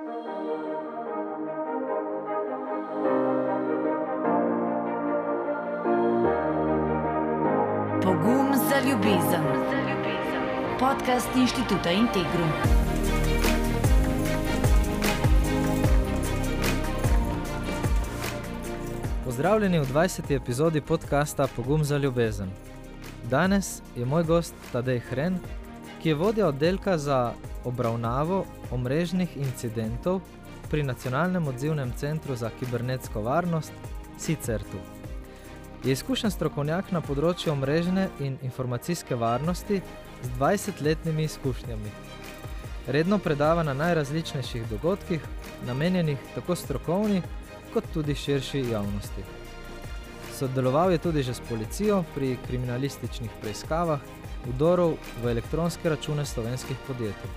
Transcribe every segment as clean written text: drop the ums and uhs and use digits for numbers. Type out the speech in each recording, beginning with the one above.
Pogum za ljubezen. Podcast Inštituta Integrum. Pozdravljeni v 20. epizodi podcasta Pogum za ljubezen. Danes je moj gost Tadej Hren, ki je vodja oddelka za obravnavo omrežnih incidentov pri Nacionalnem odzivnem centru za kibernetsko varnost CICERT-u. Je izkušen strokovnjak na področju omrežne in informacijske varnosti z 20-letnimi izkušnjami. Redno predava na najrazličnejših dogodkih, namenjenih tako strokovni kot tudi širši javnosti. Sodeloval je tudi že s policijo pri kriminalističnih preiskavah vdorov v elektronske račune slovenskih podjetij.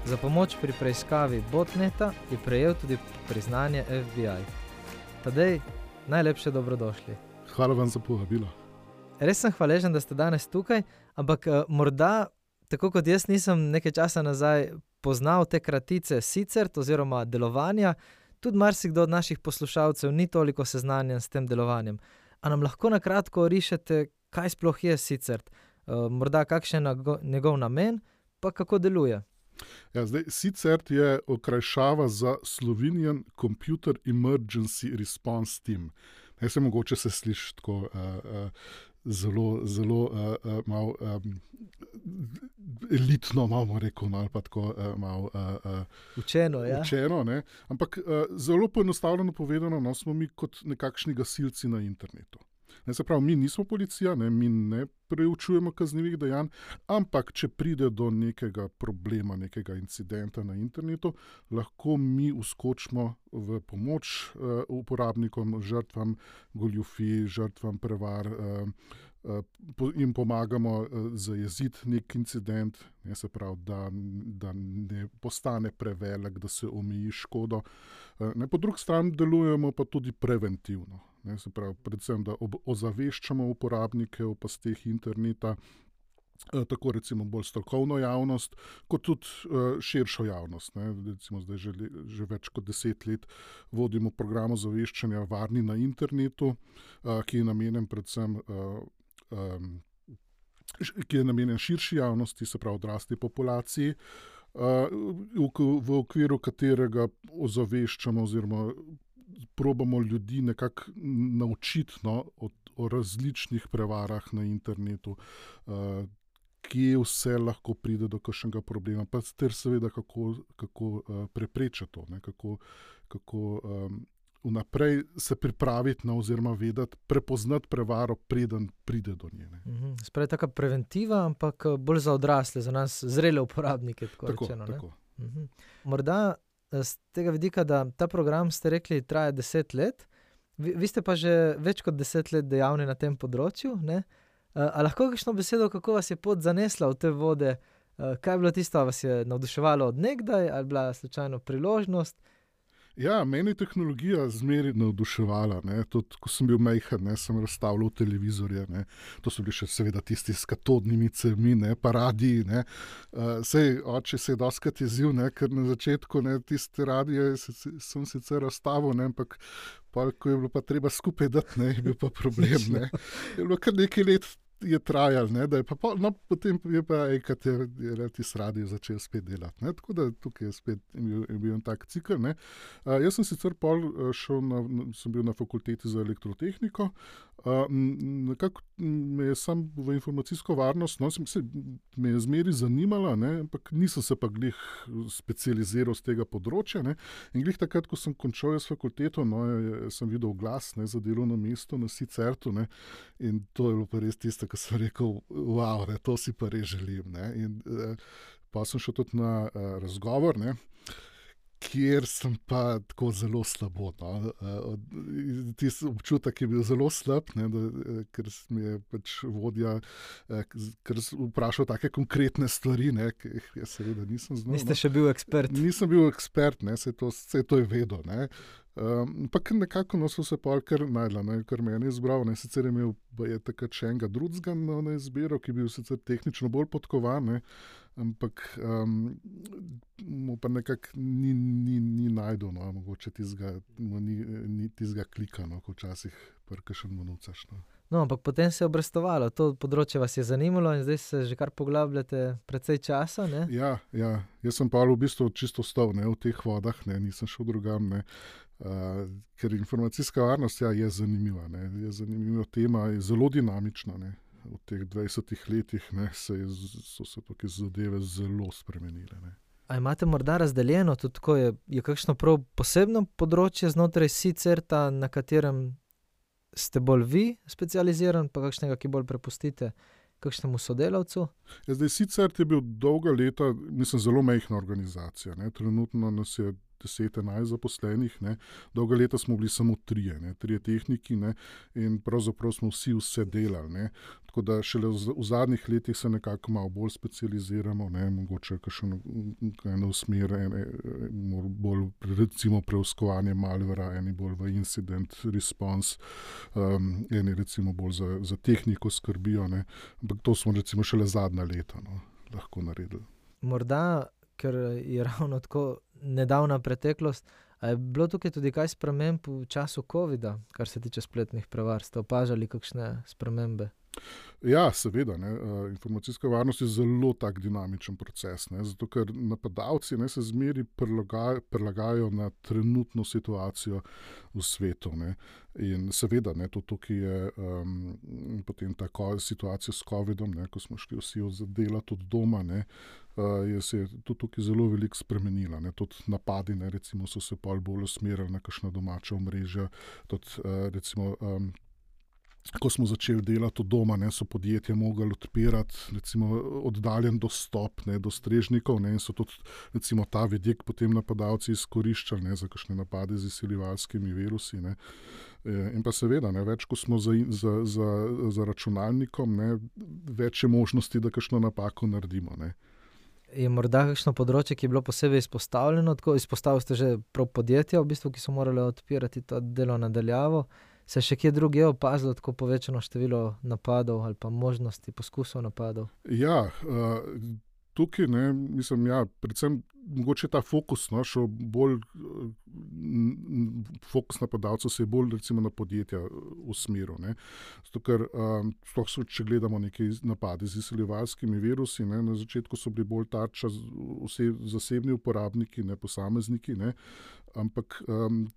Za pomoč pri preiskavi botneta je prejel tudi priznanje FBI. Tadej, najlepše dobrodošli. Hvala vam za povabilo. Res sem hvaležen, da ste danes tukaj, ampak morda, tako kot jaz nisem nekaj časa nazaj poznal te kratice CICERT oziroma delovanja, tudi marsikdo od naših poslušalcev ni toliko seznanjen s tem delovanjem. A nam lahko na kratko rišete, kaj sploh je CICERT? Morda kakšen je njegov namen, pa kako deluje? Ja, CICERT je okrajšava za Slovenian Computer Emergency Response Team. Mogoče se sliši tako zelo malo elitno, malo rekel, ali pa tako malo učeno, ja? Učeno, ne? Ampak zelo poenostavljeno povedano, smo mi kot nekakšni gasilci na internetu. Se pravi, mi nismo policija, mi ne preučujemo kaznivih dejanj, ampak če pride do nekega problema, nekega incidenta na internetu, lahko mi vskočimo v pomoč uporabnikom, žrtvam goljufij, žrtvam prevar, in pomagamo zajeziti nek incident, se pravi, da ne postane prevelik, da se omeji škodo. Po drugi strani delujemo pa tudi preventivno. Se pravi, predvsem, da ozaveščamo uporabnike o pasteh interneta, tako recimo bolj strokovno javnost, kot tudi širšo javnost. Recimo zdaj že več kot 10 let vodimo program ozaveščanja varni na internetu, ki je namenjen predvsem ki je namenjen širši javnosti, se pravi odrasli populaciji, v okviru katerega ozaveščamo oziroma probamo ljudi nekako naučiti o različnih prevarah na internetu, kje vse lahko pride do kakšnega problema, pa ter seveda kako preprečiti to, kako vnaprej se pripraviti oziroma vedeti, prepoznati prevaro, preden pride do nje. Spravi taka preventiva, ampak bolj za odrasle, za nas zrele uporabnike, tako rečeno. Tako. Morda z tega vidika, da ta program, ste rekli, traja 10 let, vi ste pa že več kot 10 let dejavni na tem področju, ne? A lahko kakšno besedo, kako vas je pot zanesla v te vode? Kaj je bilo tisto, vas je navduševalo od nekdaj, ali bila slučajno priložnost? Ja, meni je tehnologija zmeraj navduševala. Tudi, ko sem bil majhen, sem razstavljal televizorje. To so bili še seveda tisti s katodnimi cevmi, pa radiji. Sej oče se je dostikrat jezil, ker na začetku tiste radije sem sicer razstavil, ampak ko je bilo pa treba skupaj dati, je bil pa problem. Je bilo kar nekaj let je trajal, da je pa potem je pa enkrat je tisti radio začel spet delati. Tako da tukaj je spet bil en tak cikl. Jaz sem sicer sem bil na fakulteti za elektrotehniko, nekako me je sam v informacijsko varnost, me je zmeri zanimala, ampak nisem se pa glih specializiral z tega področja. In glih takrat, ko sem končal jaz fakulteto, sem videl oglas za delovno mesto na CICERT-u, in to je bilo pa res tisto, ko sem rekel, wow, to si pa res želim. In pa sem šel tudi na razgovor, kjer sem pa tako zelo slabo. Tisti občutek je bil zelo slab, ker mi je pač vodja vprašal take konkretne stvari, ki jih seveda nisem znal. Niste še bil ekspert? Nisem bil ekspert, se to je vedel. Ampak nekako so se pol kar najdla, ne, kar meni izbral. Ne. Sicer je imel takrat še enega drugega na izbiro, ki je bil sicer tehnično bolj podkovan, ne, ampak mu pa nekako ni najdel, no, mogoče ni tistega klika, no, ko včasih prkašen monucaš. No. No, ampak potem se je obrestovalo, to področje vas je zanimalo in zdaj se že kar poglabljate precej časa, ne? Ja, jaz sem pa v bistvu čisto ostal, ne, v teh vodah, ne, nisem šel drugam, ne, ker informacijska varnost, ja, je zanimiva, ne, je zanimiva tema, je zelo dinamična, ne. V teh 20 letih, ne, so se tukaj zadeve zelo spremenile, ne. A imate morda razdeljeno tudi tako, je kakšno prav posebno področje znotraj SICERT-a, na katerem ste bolj vi specializiran, pa kakšnega, ki bolj prepustite kakšnemu sodelavcu? Ja, zdaj SICERT je bil dolga leta, mislim, zelo majhna organizacija, ne. Trenutno nas je 10-11 zaposlenih, ne. Dolga leta smo bili samo trije tehniki, ne, in pravzaprav smo vse delali, ne. Tako da šele v zadnjih letih se nekako malo bolj specializiramo, ne, mogoče kakšno smer, bolj recimo preiskovanje malvera, eni bolj v incident response, eni recimo bolj za tehniko skrbijo, ne. Ampak to smo recimo šele zadnja leta, no, lahko naredili. Morda, ker je ravno tako nedavna preteklost, a je bilo tukaj tudi kaj sprememb v času covida, kar se tiče spletnih prevar? Ste opažali kakšne spremembe? Ja, seveda, ne. Informacijska varnost je zelo tak dinamičen proces, ne, zato ker napadalci, ne, se zmeri prilagajajo na trenutno situacijo v svetu, ne. In seveda, ne, to tukaj je potem ta situacija s covidom, ne, ko smo šli vsi delati od doma, ne, se je tudi tukaj zelo veliko spremenila, ne. Tudi napadi, ne, recimo, so se pol bolj usmerili na kakšna domača omrežja, tudi recimo ko smo začeli delati od doma, ne, so podjetja mogli odpirati recimo oddaljen dostop, ne, do strežnikov, ne, in so tudi recimo ta vidik potem napadalci izkoriščali, ne, za kakšne napade z izsiljevalskimi virusi, ne. In pa seveda, ne, več ko smo za računalnikom, ne, več je možnosti, da kakšno napako naredimo, ne. Je morda kakšno področje, ki je bilo posebej izpostavljeno? Tako izpostavili ste že prav podjetja, v bistvu, ki so morali odpirati to delo na daljavo. Se še kje drugje opazilo tako povečano število napadov ali pa možnosti poskusov napadov? Ja, tukaj, ne, mislim, ja, predvsem mogoče ta fokus, no, šel bolj, fokus napadalcev se je bolj recimo na podjetja usmeril, ne. Zato ker, sploh če gledamo neke napade z izsiljevalskimi virusi, ne, na začetku so bili bolj tarča zasebni uporabniki, ne, posamezniki, ne, ampak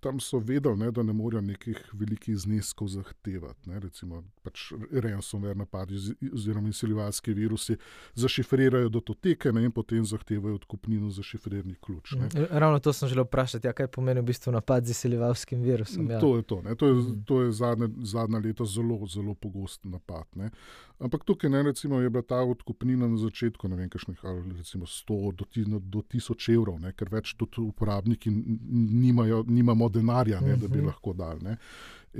tam so vedeli, ne, da ne morejo nekih velikih zneskov zahtevati, ne, recimo pač ransomware napadi oziroma izsiljevalski virusi zašifrirajo datoteke, ne, in potem zahtevajo odkupnino za šifrerni ključ, ne. Ravno to sem želel vprašati, ja, kaj pomeni v bistvu napad z izsiljevalskim virusom? Ja. To je to, ne, to je zadnja leta zelo, zelo pogost napad, ne. Ampak tukaj, ne, recimo, je bila ta odkupnina na začetku, ne vem, kakšnih, recimo 100 do 1000 evrov, ne, ker več tudi uporabniki nimamo denarja, ne, da bi lahko dali, ne.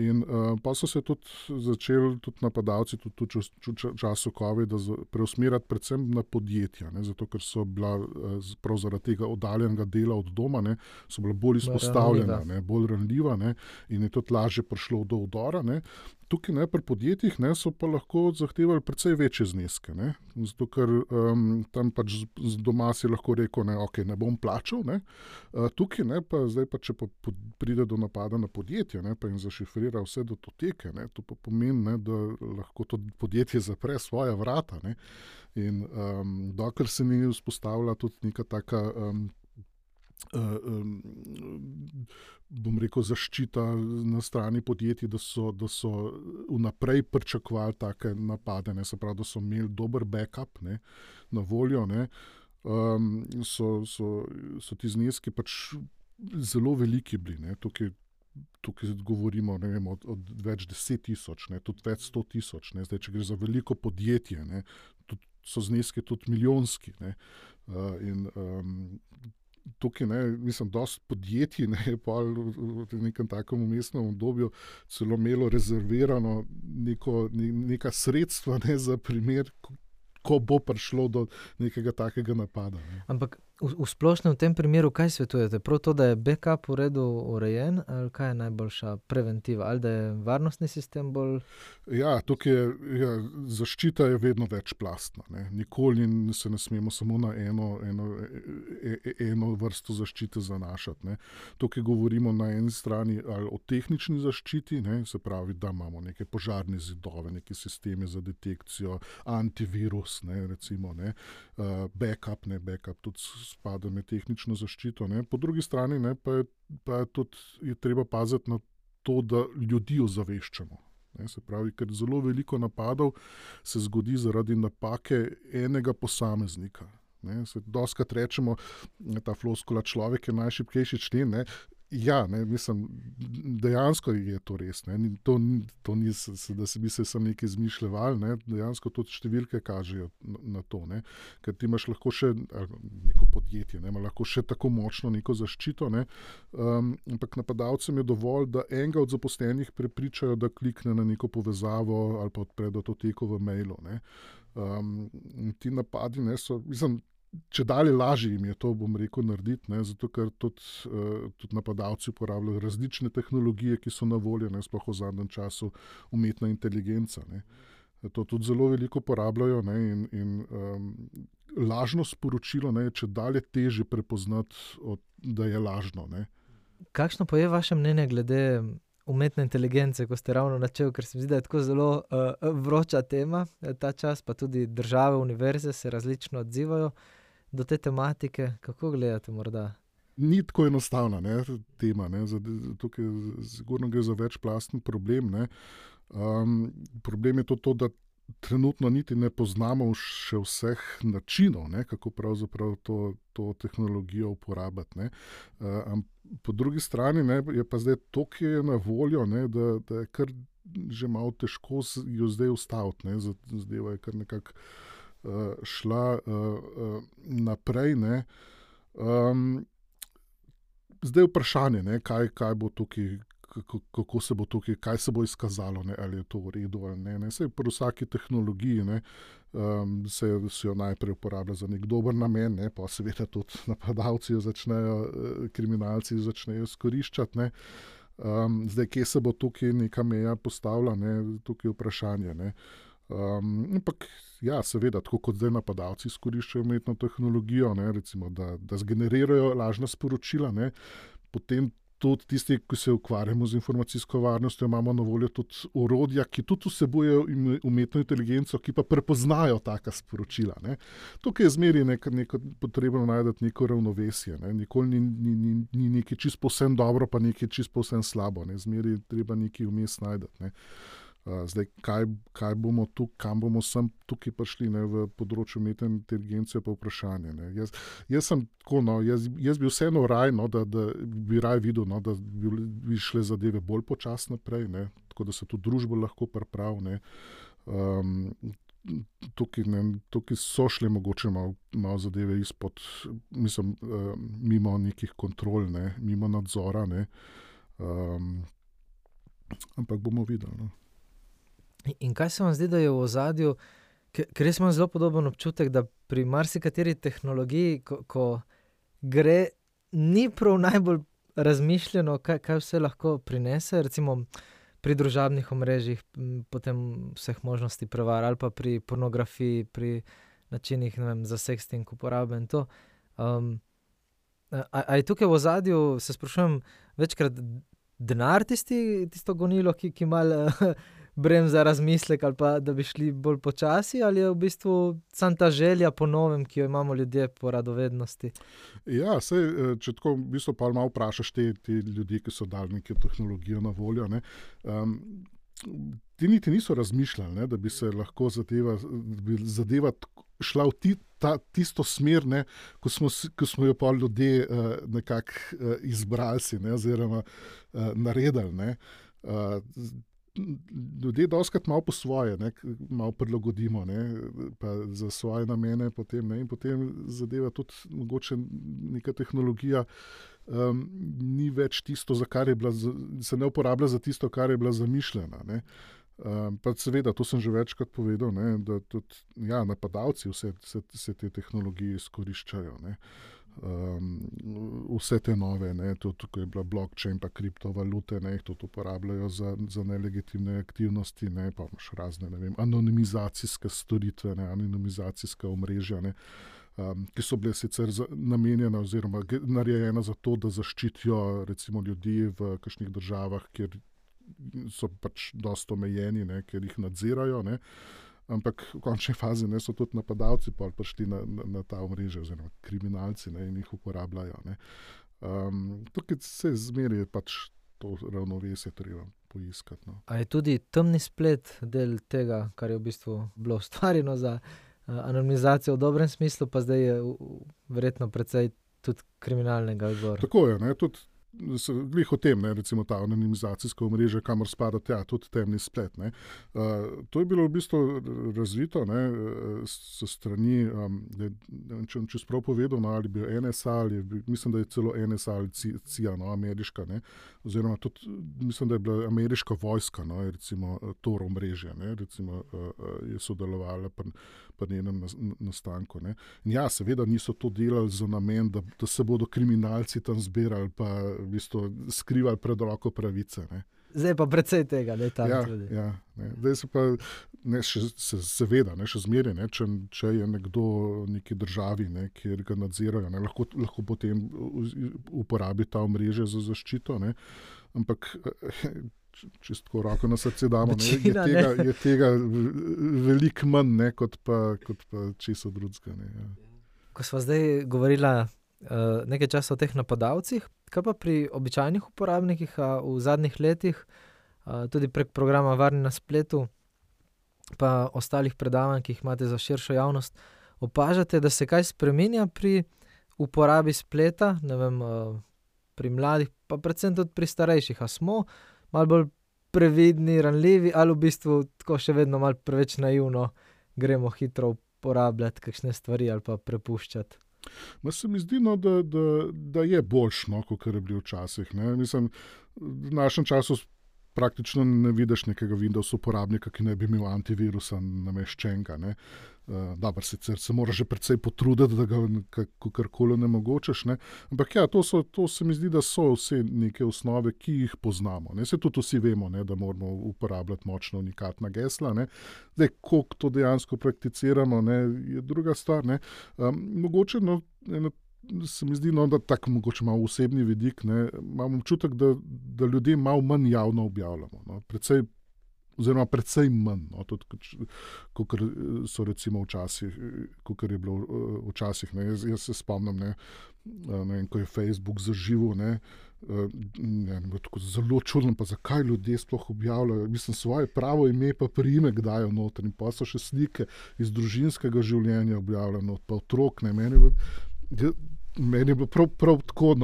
In pa so se tudi začeli napadalci tudi v času covida preusmerjati predvsem na podjetja, ne, zato ker so bila prav zaradi tega oddaljenega dela od doma, ne, so bila bolj izpostavljena, ne, bolj ranljiva, ne, in je tudi lažje prišlo do vdora, ne. Tukaj, ne, pri podjetjih, ne, so pa lahko zahtevali precej večje zneske, ne, zato ker tam pač doma si lahko rekel, ne, okej, ne bom plačal, ne. Tukaj, ne, pa zdaj pa, če pa pride do napada na podjetje, ne, pa jim zašifrira vse datoteke, ne, to pa pomeni, ne, da lahko to podjetje zapre svoja vrata, ne. In dokler se ni vzpostavila tudi neka taka bom rekel, zaščita na strani podjetij, da so vnaprej pričakovali take napade, ne, se pravi, da so imeli dober backup, ne, na voljo, ne, so ti zneski pač zelo veliki bili, ne, tukaj govorimo, ne vem, od več 10 000, ne, tudi več 100 000, ne, zdaj, če gre za veliko podjetje, ne, so zneski tudi milijonski, ne, in tukaj, ne, mislim, dosti podjetij, ne, je pa v nekem takem vmesnem obdobju celo imelo rezervirano neka sredstva, ne, za primer, ko bo prišlo do nekega takega napada, ne. Ampak V splošnem v tem primeru, kaj svetujete? Prav to, da je backup v redu urejen, ali kaj je najboljša preventiva? Ali da je varnostni sistem bolj... Ja, tukaj je, zaščita je vedno večplastna. Nikoli se ne smemo samo na eno vrsto zaščite zanašati. Tukaj govorimo na eni strani ali o tehnični zaščiti, se pravi, da imamo neke požarne zidove, neke sisteme za detekcijo, antivirus, recimo, backup tudi spada med tehnično zaščito. Po drugi strani pa je tudi treba paziti na to, da ljudi ozaveščamo. Se pravi, ker zelo veliko napadov se zgodi zaradi napake enega posameznika. Dostikrat rečemo, ta floskula človek je najšibkejši člen. Ja, mislim, dejansko je to res. To ni, da se bi se sam nekaj izmišljevali, dejansko tudi številke kažejo na to. Ker ti imaš lahko še neko podjetje, ima lahko še tako močno neko zaščito, ampak napadalcem je dovolj, da enega od zaposlenih prepričajo, da klikne na neko povezavo ali pa odpre datoteko v mailu. Ti napadi so, mislim, če dalje lažje jim je to, bom rekel, narediti, zato ker tudi napadalci uporabljajo različne tehnologije, ki so na voljo, sploh v zadnjem času umetna inteligenca. To tudi zelo veliko uporabljajo in lažno sporočilo je če dalje težje prepoznati, da je lažno. Kakšno pa je vaše mnenje glede umetne inteligence, ko ste ravno načeli, ker se mi zdi, da je tako zelo vroča tema ta čas, pa tudi države, univerze se različno odzivajo do te tematike. Kako gledate morda? Ni tako enostavna tema. Tukaj sigurno gre za večplasten problem. Problem je to, da trenutno niti ne poznamo še vseh načinov, kako pravzaprav to tehnologijo uporabiti. Po drugi strani je pa zdaj to, ki je na voljo, da je kar že malo težko jo zdaj ustaviti. Zadeva je kar nekako šla naprej. Zdaj vprašanje, kaj bo tukaj, kako se bo tukaj, kaj se bo izkazalo, ali je to v redu ali ne. Saj pri vsaki tehnologiji se jo najprej uporablja za nek dober namen, pa seveda tudi napadalci kriminalci začnejo izkoriščati. Zdaj, kje se bo tukaj neka meja postavila, tukaj je vprašanje. Ampak ja, seveda, tako kot zdaj napadalci izkoriščajo umetno tehnologijo, recimo, da zgenerirajo lažna sporočila, potem tudi tisti, ki se ukvarjamo z informacijsko varnostjo, imamo na voljo tudi orodja, ki tudi vsebujejo umetno inteligenco, ki pa prepoznajo taka sporočila. Tukaj je zmeraj potrebno najti neko ravnovesje. Nikoli ni nekaj čisto povsem dobro, pa nekaj čisto povsem slabo. Zmeraj treba nekaj vmes najti. Zdaj, kaj bomo kam bomo tukaj prišli, v področju umetne inteligence, pa vprašanje. Jaz sem tako, jaz bi vseeno raj, da bi raj videl, da bi šle zadeve bolj počasno naprej, tako da se tudi družba lahko pripravi. Tukaj so šle mogoče malo zadeve izpod, mislim, mimo nekih kontrol, mimo nadzora, ampak bomo videli. In kaj se vam zdi, da je v ozadju, ker res imam zelo podoben občutek, da pri marsikateri tehnologiji, ko gre, ni prav najbolj razmišljeno, kaj vse lahko prinese, recimo pri družabnih omrežjih, potem vseh možnosti prevar, ali pa pri pornografiji, pri načinih, za sexting uporabe in to. A je tukaj v ozadju, se sprašujem, večkrat denar tisto gonilo, ki malo bremza razmislek, ali pa da bi šli bolj počasi, ali je v bistvu samo ta želja po novem, ki jo imamo ljudje po radovednosti? Ja, če tako v bistvu pa malo vprašaš te ljudi, ki so dali neko tehnologijo na voljo, ti niti niso razmišljali, da bi se lahko zadeva šla v tisto smer, ko smo jo pa ljudje nekako izbrali, oziroma naredili. Ljudje dostikrat malo po svoje, malo prilagodimo, pa za svoje namene potem, in potem zadeva tudi mogoče neka tehnologija ni več tisto, za kar je bila, se ne uporablja za tisto, kar je bila zamišljena. Pa seveda, to sem že večkrat povedal, da tudi napadalci vse te tehnologije izkoriščajo. Vse te nove, tudi ko je bila blockchain pa kriptovalute, jih tudi uporabljajo za nelegitimne aktivnosti, pa imaš razne, anonimizacijske storitve, anonimizacijska omrežja, ki so bile sicer namenjene oziroma narejene za to, da zaščitijo recimo ljudi v kakšnih državah, kjer so pač dosta omejeni, ker jih nadzirajo, ampak v končni fazi so tudi napadalci prišli na ta omrežja oziroma kriminalci in jih uporabljajo. Tukaj se zmeri pač to ravnovesje treba poiskati. A je tudi temni splet del tega, kar je v bistvu bilo ustvarjeno za anonimizacijo v dobrem smislu, pa zdaj je verjetno precej tudi kriminalnega izvora? Tako je, tudi glih o tem, recimo ta anonimizacijska omrežja, kamor spada tudi temni splet. To je bilo v bistvu razvito s strani, če sprav povedal, ali bi NSA, mislim, da je celo NSA ali CIA, ameriška, oziroma tudi mislim, da je bila ameriška vojska, recimo Tor omrežje, recimo je sodelovala pri njenem nastanku. In ja, seveda niso to delali za namen, da se bodo kriminalci tam zbirali pa v bistvu skrivali pred roko pravice. Zdaj pa precej tega, da je tam tudi. Ja. Zdaj se pa, seveda, še zmeraj, če je nekdo v neki državi, kjer ga nadzirajo, lahko potem uporabi ta omrežje za zaščito, ampak čisto roko na srce damo, je tega veliko manj, kot pa česa drugega. Ja. Ko sva zdaj govorila nekaj časa o teh napadalcih, kaj pa pri običajnih uporabnikih v zadnjih letih, tudi prek programa Varni na spletu, pa ostalih predavanj, ki jih imate za širšo javnost, opažate, da se kaj spreminja pri uporabi spleta, pri mladih, pa predvsem tudi pri starejših? A smo malo bolj previdni, ranljivi, ali v bistvu tako še vedno malo preveč naivno gremo hitro uporabljati kakšne stvari ali pa prepuščati? Se mi zdi, da je boljše, kot je bilo včasih. Mislim, v našem času praktično ne vidiš nekega Windows uporabnika, ki ne bi imel antivirusa nameščenega. Dobro, sicer se moraš že precej potruditi, da ga kakorkoli onemogočiš, ampak ja, to se mi zdi, da so vse neke osnove, ki jih poznamo. Se tudi vsi vemo, da moramo uporabljati močno unikatna gesla. Zdaj, koliko to dejansko prakticiramo, je druga stvar. Mogoče se mi zdi, da tako mogoče malo osebni vidik, imam občutek, da ljudje malo manj javno objavljamo. Precej manj, kot so recimo včasih, kot je bilo včasih. Jaz se spomnim, ko je Facebook zaživel, tako zelo čudno, pa zakaj ljudje sploh objavljajo. Mislim, svoje pravo ime pa priimek dajo noter in pa so še slike iz družinskega življenja objavljeno, pa otrok. Meni je bilo prav tako,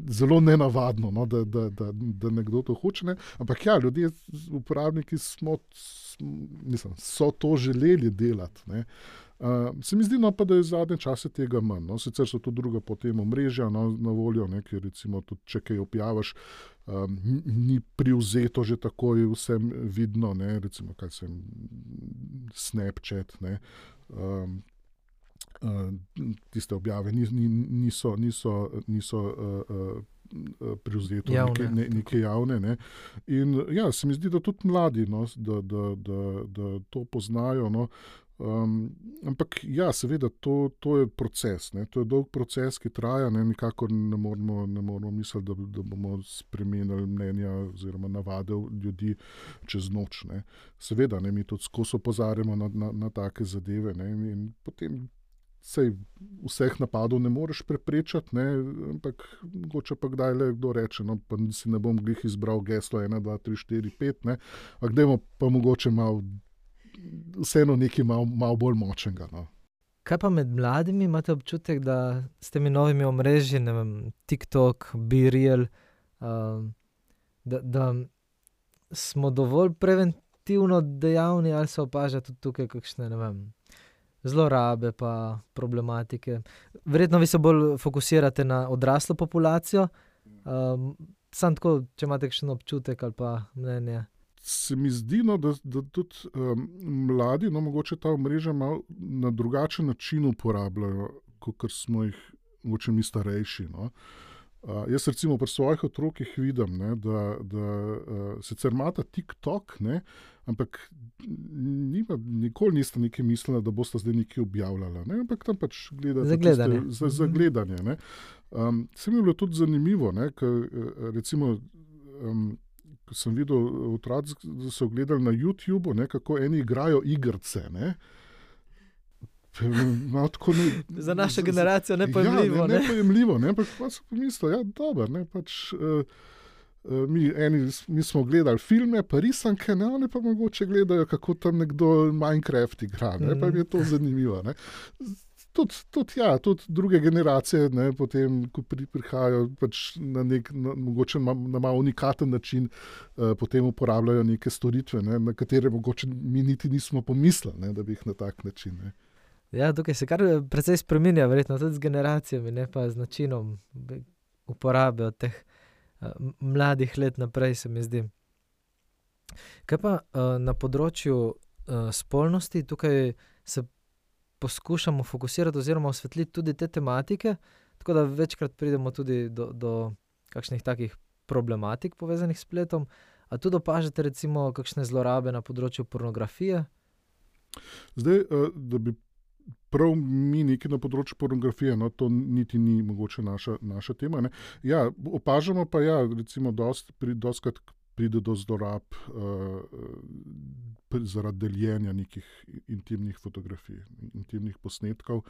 zelo nenavadno, da nekdo to hoče. Ampak ja, ljudje, uporabniki so to želeli delati. Se mi zdi, pa da je zadnje čase tega manj. Sicer so to druga potem omrežja na voljo, ker recimo tudi, če kaj objaviš, ni privzeto že takoj vsem vidno, recimo kaj sem Snapchat, tiste objave niso privzeto neke javne. In ja, se mi zdi, da tudi mladi, da to poznajo. Ampak ja, seveda, to je proces. To je dolg proces, ki traja. Nikakor ne moramo misliti, da bomo spremenili mnenja oziroma navade ljudi čez noč. Seveda, mi tudi skozi opozarjamo na take zadeve. In potem vseh napadov ne moreš preprečati, ampak mogoče pa kdaj le kdo reče, pa si ne bom glih izbral geslo 1, 2, 3, 4, 5, ampak dajmo pa mogoče vseeno nekaj malo bolj močnega. Kaj pa med mladimi? Imate občutek, da s temi novimi omrežji, TikTok, BeReal, da smo dovolj preventivno dejavni, ali se opaža tudi tukaj kakšne, zlorabe pa problematike? Verjetno vi se bolj fokusirate na odraslo populacijo. Samo tako, če imate kakšen občutek ali pa mnenje. Se mi zdi, da tudi mladi, mogoče ta omrežja malo na drugačen način uporabljajo, kot smo jih mogoče mi starejši. No. Jaz recimo pri svojih otrokih vidim, ne, da sicer imata TikTok, ne, ampak nikoli niste nekaj mislili, da boste zdaj nekaj objavljala, ne, ampak tam pač gledate za gledanje. Ne. Se mi je bilo tudi zanimivo, ne, recimo ko sem videl otroci, da so gledali na YouTubeu, ne, kako eni igrajo igrice. Ne. Za našo generacijo nepojemljivo. Ja, nepojemljivo, ne, ampak pa sem pomislil, ja, dobro, ne, pač mi smo gledali filme, pa risanke, ne, oni pa mogoče gledajo, kako tam nekdo Minecraft igra, ne, pa mi je to zanimivo, ne. Tudi druge generacije, ne, potem, ko prihajajo pač mogoče na malo unikaten način, potem uporabljajo neke storitve, ne, na katere mogoče mi niti nismo pomislili, ne, da bi jih na tak način. Ne. Ja, tukaj se kar precej spreminja, verjetno tudi z generacijami, ne pa z načinom uporabe od teh mladih let naprej, se mi zdi. Kaj pa na področju spolnosti, tukaj se poskušamo fokusirati oziroma osvetliti tudi te tematike, tako da večkrat pridemo tudi do kakšnih takih problematik povezanih s spletom. A tudi opažate recimo kakšne zlorabe na področju pornografije? Zdaj, da bi prav mi nekaj na področju pornografije, no, to niti ni mogoče naša tema. Ne. Ja, opažamo pa recimo dostikrat pride do zlorab zaradi deljenja nekih intimnih fotografij, intimnih posnetkov.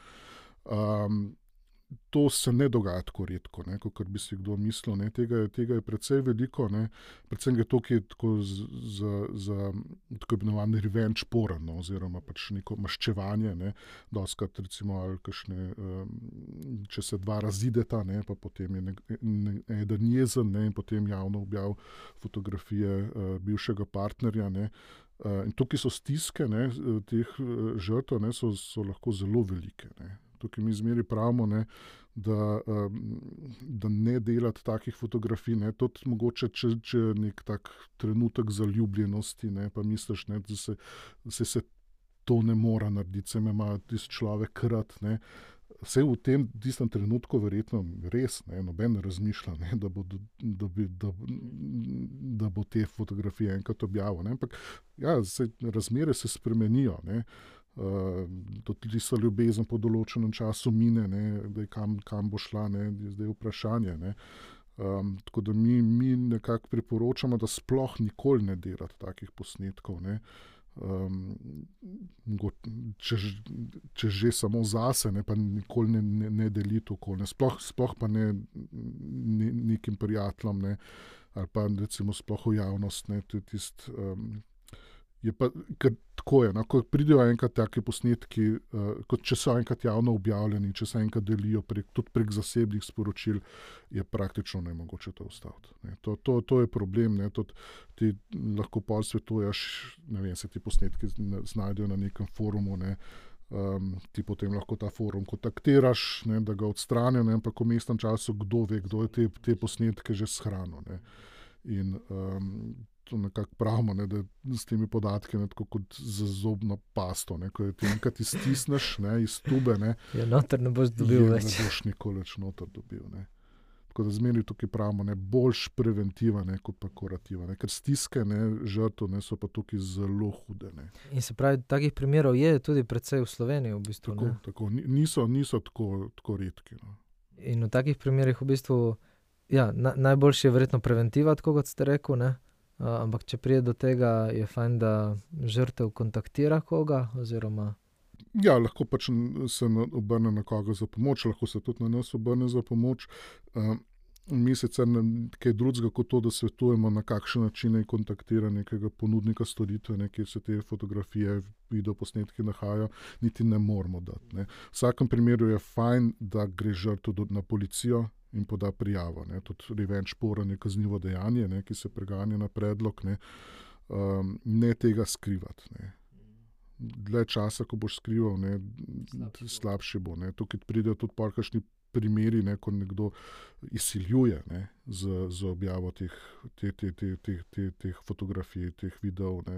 To se ne dogaja tako redko, ne, kot bi si kdo mislil. Ne. Tega je precej veliko, ne. Predvsem je to, ki je tako za tako imenovani revenge porn, no, oziroma pač neko maščevanje. Ne. Dostikrat recimo, ali kakšne, če se dva razideta, ne, pa potem je eden jezen, ne, in potem javno objav fotografije bivšega partnerja. Ne. In tukaj so stiske, ne, teh žrtev, ne, so lahko zelo velike. Ne. Tukaj mi zmeri pravimo, ne, da ne delati takih fotografij, ne, tudi mogoče, če je nek tak trenutek zaljubljenosti, ne, pa misliš, ne, da se to ne mora narediti, se me ima tisti človek rad, ne. Vse v tistem trenutku verjetno res, ne, noben ne razmišlja, ne, da bo te fotografije enkrat objavil. Ne. Ampak ja, razmere se spremenijo. Ne. Tudi tista ljubezen po določenem času mine, ne, da kam bo šla, ne, je zdaj vprašanje. Ne. Tako da mi nekako priporočamo, da sploh nikoli ne delati takih posnetkov. Ne. Če že samo zase, ne, pa nikoli ne deliti okolje. Sploh pa ne nekim prijateljem, ne, ali pa recimo sploh v javnost. Ne, je pa, ker tako je, no, ko pridejo enkrat taki posnetki, kot če so enkrat javno objavljeni, če se enkrat delijo tudi prek zasebnih sporočil, je praktično nemogoče to ustaviti. Ne. To je problem. Ne. Ti lahko pol svetuješ, ne vem, se ti posnetki znajdejo na nekem forumu, ne. Ti potem lahko ta forum kontaktiraš, ne, da ga odstranijo, ne, ampak v vmesnem času kdo ve, kdo je te posnetke že shranil. Ne. In to nekako pravimo, ne, da s temi podatki, ne, tako kot za zobno pasto, ne, ko ti enkrat iztisneš, ne, iz tube, ne, noter ne boš dobil več. Ne boš nikoli več noter dobil. Ne. Tako da zmeri tukaj pravimo, ne, boljš preventiva, ne, kot pa kurativa. Ne, ker stiske, ne, žrtev, ne, so pa tukaj zelo hude. Ne. In se pravi, takih primerov je tudi precej v Sloveniji v bistvu. Tako. Niso tako redki. No. In v takih primerih v bistvu, ja, najboljše je verjetno preventiva, tako kot ste rekel, ne. Ampak če pride do tega, je fajn, da žrtev kontaktira koga, oziroma... Ja, lahko pač se obrne na koga za pomoč, lahko se tudi na nas obrne za pomoč. Mi sicer kaj drugega kot to, da svetujemo, na kakšen način naj kontaktira nekega ponudnika storitve, ne, kjer se te fotografije, videoposnetki nahajajo, niti ne moramo dati. Ne. V vsakem primeru je fajn, da gre žrtev na policijo in poda prijavo. Ne. Tudi revenge porn je kaznivo dejanje, ne, ki se preganja na predlog. Ne tega skrivati. Ne. Dlje časa, ko boš skrival, ne, slabše bo. Ne. Tukaj pridejo tudi kakšni primeri, ne, ko nekdo izsiljuje, ne, z objavo teh fotografij, teh videov. Ne.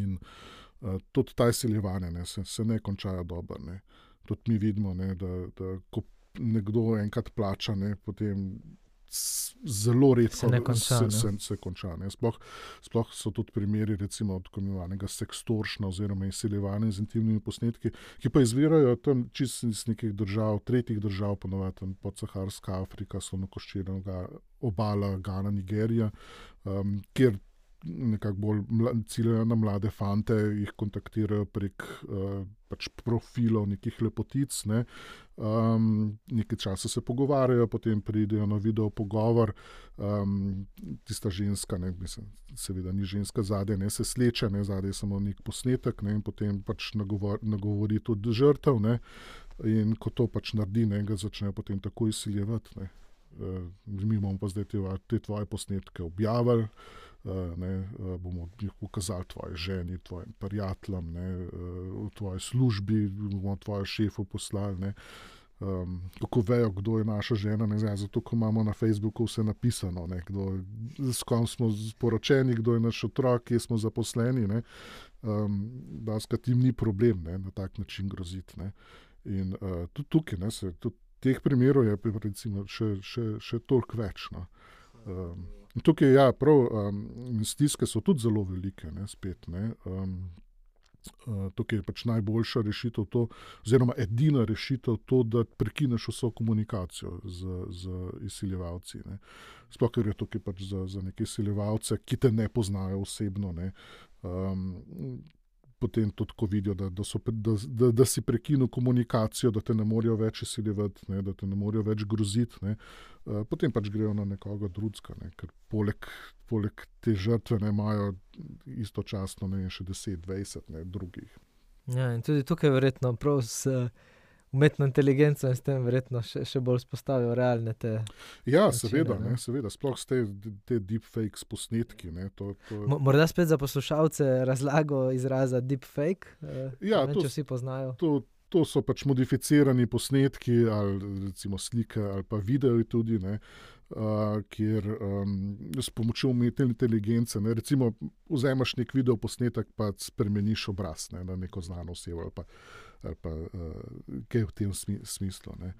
In tudi ta izsiljevanja, ne, se ne končajo dobro. Ne. Tudi mi vidimo, ne, da ko nekdo enkrat plača, ne, potem zelo redko se konča. Ne. Sploh so tudi primeri, recimo, tako imenovanega sextortiona oziroma izsiljevanja z intimnimi posnetki, ki pa izvirajo tam čisto iz nekih držav, tretjih držav, ponovadi podsaharska Afrika, slonokoščena obala, Gana, Nigerija, kjer nekako bolj ciljajo na mlade fante, jih kontaktirajo prek pač profilov nekih lepotic, ne. Nekaj časa se pogovarjajo, potem pridejo na video pogovor, tista ženska, ne, mislim, seveda ni ženska zadaj, ne, se sleče, ne, zadaj je samo nek posnetek, ne, in potem pač nagovori tudi žrtev, ne, in ko to pač naredi, ne, ga začnejo potem tako izsiljevati, ne. Mi bomo pa zdaj te tvoje posnetke objavili, bomo jih pokazali tvoji ženi, tvojim prijateljem, v tvoji službi, bomo tvoje šefu poslali. Ne. Kako vejo, kdo je naša žena, ne znam, zato ko imamo na Facebooku vse napisano, ne, s kom smo sporočeni, kdo je naš otrok, kje smo zaposleni. Ne. Daskrat jim ni problem, ne, na tak način groziti. Ne. In tudi tukaj, ne, tudi teh primerov je recimo še toliko več. No. Tukaj, ja, prav, stiske so tudi zelo velike, ne, spet, ne. Tukaj je pač najboljša rešitev to, oziroma edina rešitev to, da prekineš vso komunikacijo z izsiljevalci, ne. Sploh, ker je tukaj pač za neke izsiljevalce, ki te ne poznajo osebno, ne. Potem tudi, ko vidijo, da si prekinil komunikacijo, da te ne morejo več izsiljevati, ne, da te ne morejo več groziti, ne, potem pač grejo na nekoga drugega, ne, ker poleg te žrtve ne imajo istočasno, ne, še 10-20 drugih. Ja, in tudi tukaj verjetno prav s umetno inteligenco in s tem verjetno še bolj spostavijo realne te Ja, načine, seveda, ne. seveda, sploh s te deepfakes posnetki, ne, to Morda spet za poslušalce razlago izraza deepfake, Ja, ne vem, če vsi poznajo. To so pač modificirani posnetki, ali recimo slike, ali pa videi tudi, ne, kjer s pomočjo umetne inteligence, ne, recimo vzameš nek video posnetek pa spremeniš obraz, ne, na neko znano osebo ali pa kaj v tem smislu. Ne.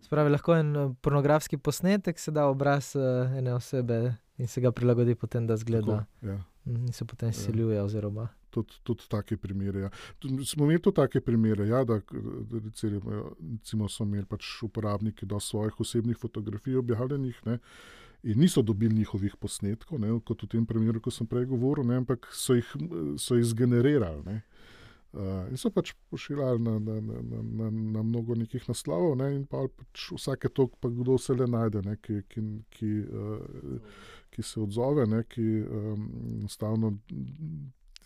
Spravi, lahko en pornografski posnetek se da obraz ene osebe in se ga prilagodi potem, da zgleda. Tako, ja. In se potem izsiljuje oziroma. Tudi take primere, ja. Smo imeli tudi take primere, ja, da recimo so imeli pač uporabniki do svojih osebnih fotografij objavljenih, ne, in niso dobili njihovih posnetkov, ne, kot v tem primeru, ko sem prej govoril, ne, ampak so jih zgenerirali, ne. In so pač pošiljali na mnogo nekih naslovov, ne, in pa pač vsake toliko pa kdo se le najde, ne, ki se odzove, ne, ki enostavno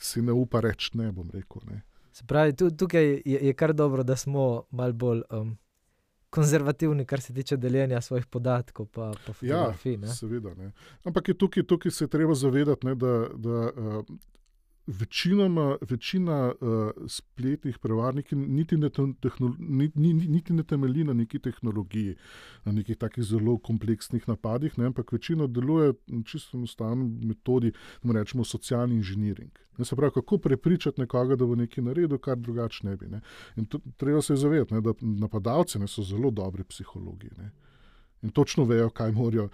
si ne upa reči ne, bom rekel, ne. Se pravi, tukaj je kar dobro, da smo malo bolj konzervativni, kar se tiče deljenja svojih podatkov pa fotografij, ne. Ja, seveda, ne. Ampak je tukaj se je treba zavedati, ne, da večina spletnih prevarnikov niti ne temelji na neki tehnologiji, na nekih takih zelo kompleksnih napadih, ne, ampak večina deluje čisto enostavno metodi, da rečemo socialni inženiring. Se pravi, kako prepričati nekoga, da bo nekaj naredil, kar drugače ne bi. Ne. In treba se zavedati, ne, da napadalci, ne, so zelo dobri psihologi, ne. In točno vejo, kaj morajo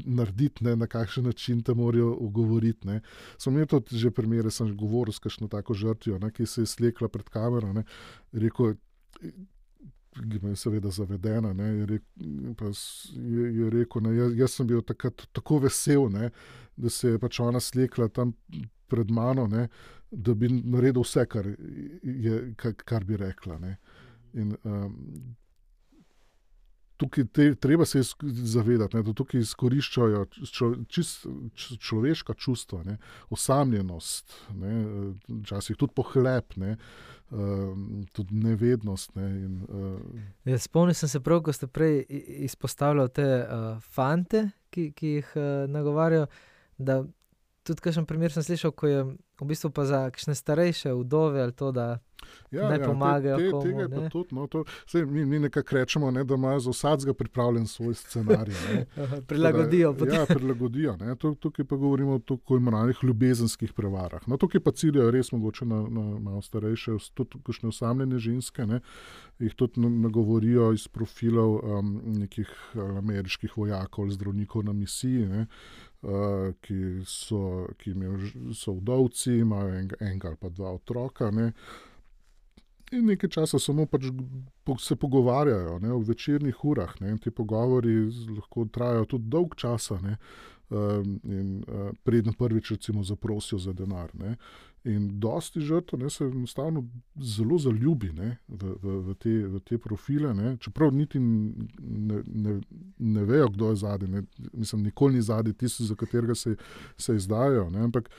narediti, ne, na kakšen način te morajo ogovoriti. Ne. Smo imeli tudi že primere, sem že govoril s kakšno tako žrtvijo, ne, ki se je slekla pred kamero, ne, rekel, je seveda zavedena, ne, je rekel, ne, jaz sem bil takrat tako vesel, ne, da se je pač ona slekla tam pred mano, ne, da bi naredil vse, kar bi rekla. Ne. In tukaj treba se zavedati, ne, da tukaj izkoriščajo človeška čustva, ne, osamljenost, ne, včasih tudi pohlep, ne, tudi nevednost. Ne, Ja, spomnil sem se prav, ko ste prej izpostavljali te fante, ki jih nagovarjajo, da tudi kakšen primer sem slišal, ko je v bistvu pa za kakšne starejše vdove ali to, da naj pomagajo komu. Tega je pa tudi, no, mi nekako rečemo, ne, da imajo za vsakega pripravljen svoj scenarij. Prilagodijo. Prilagodijo. Ne. Tukaj pa govorimo o tako imenovanih ljubezenskih prevarah. No, tukaj pa ciljajo res mogoče na malo starejše, tudi kakšne osamljene ženske, ne, jih tudi nagovorijo iz profilov nekih ameriških vojakov ali zdravnikov na misiji, ne, ki so vdovci, imajo enega ali pa dva otroka, ne. In nekaj časa samo pač se pogovarjajo, ne, v večernih urah, ne, in ti pogovori lahko trajajo tudi dolg časa, ne, in preden prvič recimo zaprosijo za denar, ne. In dosti žrtev, ne, se enostavno zelo zaljubi, ne, v te profile, ne, čeprav niti ne vejo, kdo je zadaj, ne, mislim, nikoli ni zadaj tisti, za katerega se izdajo, ne, ampak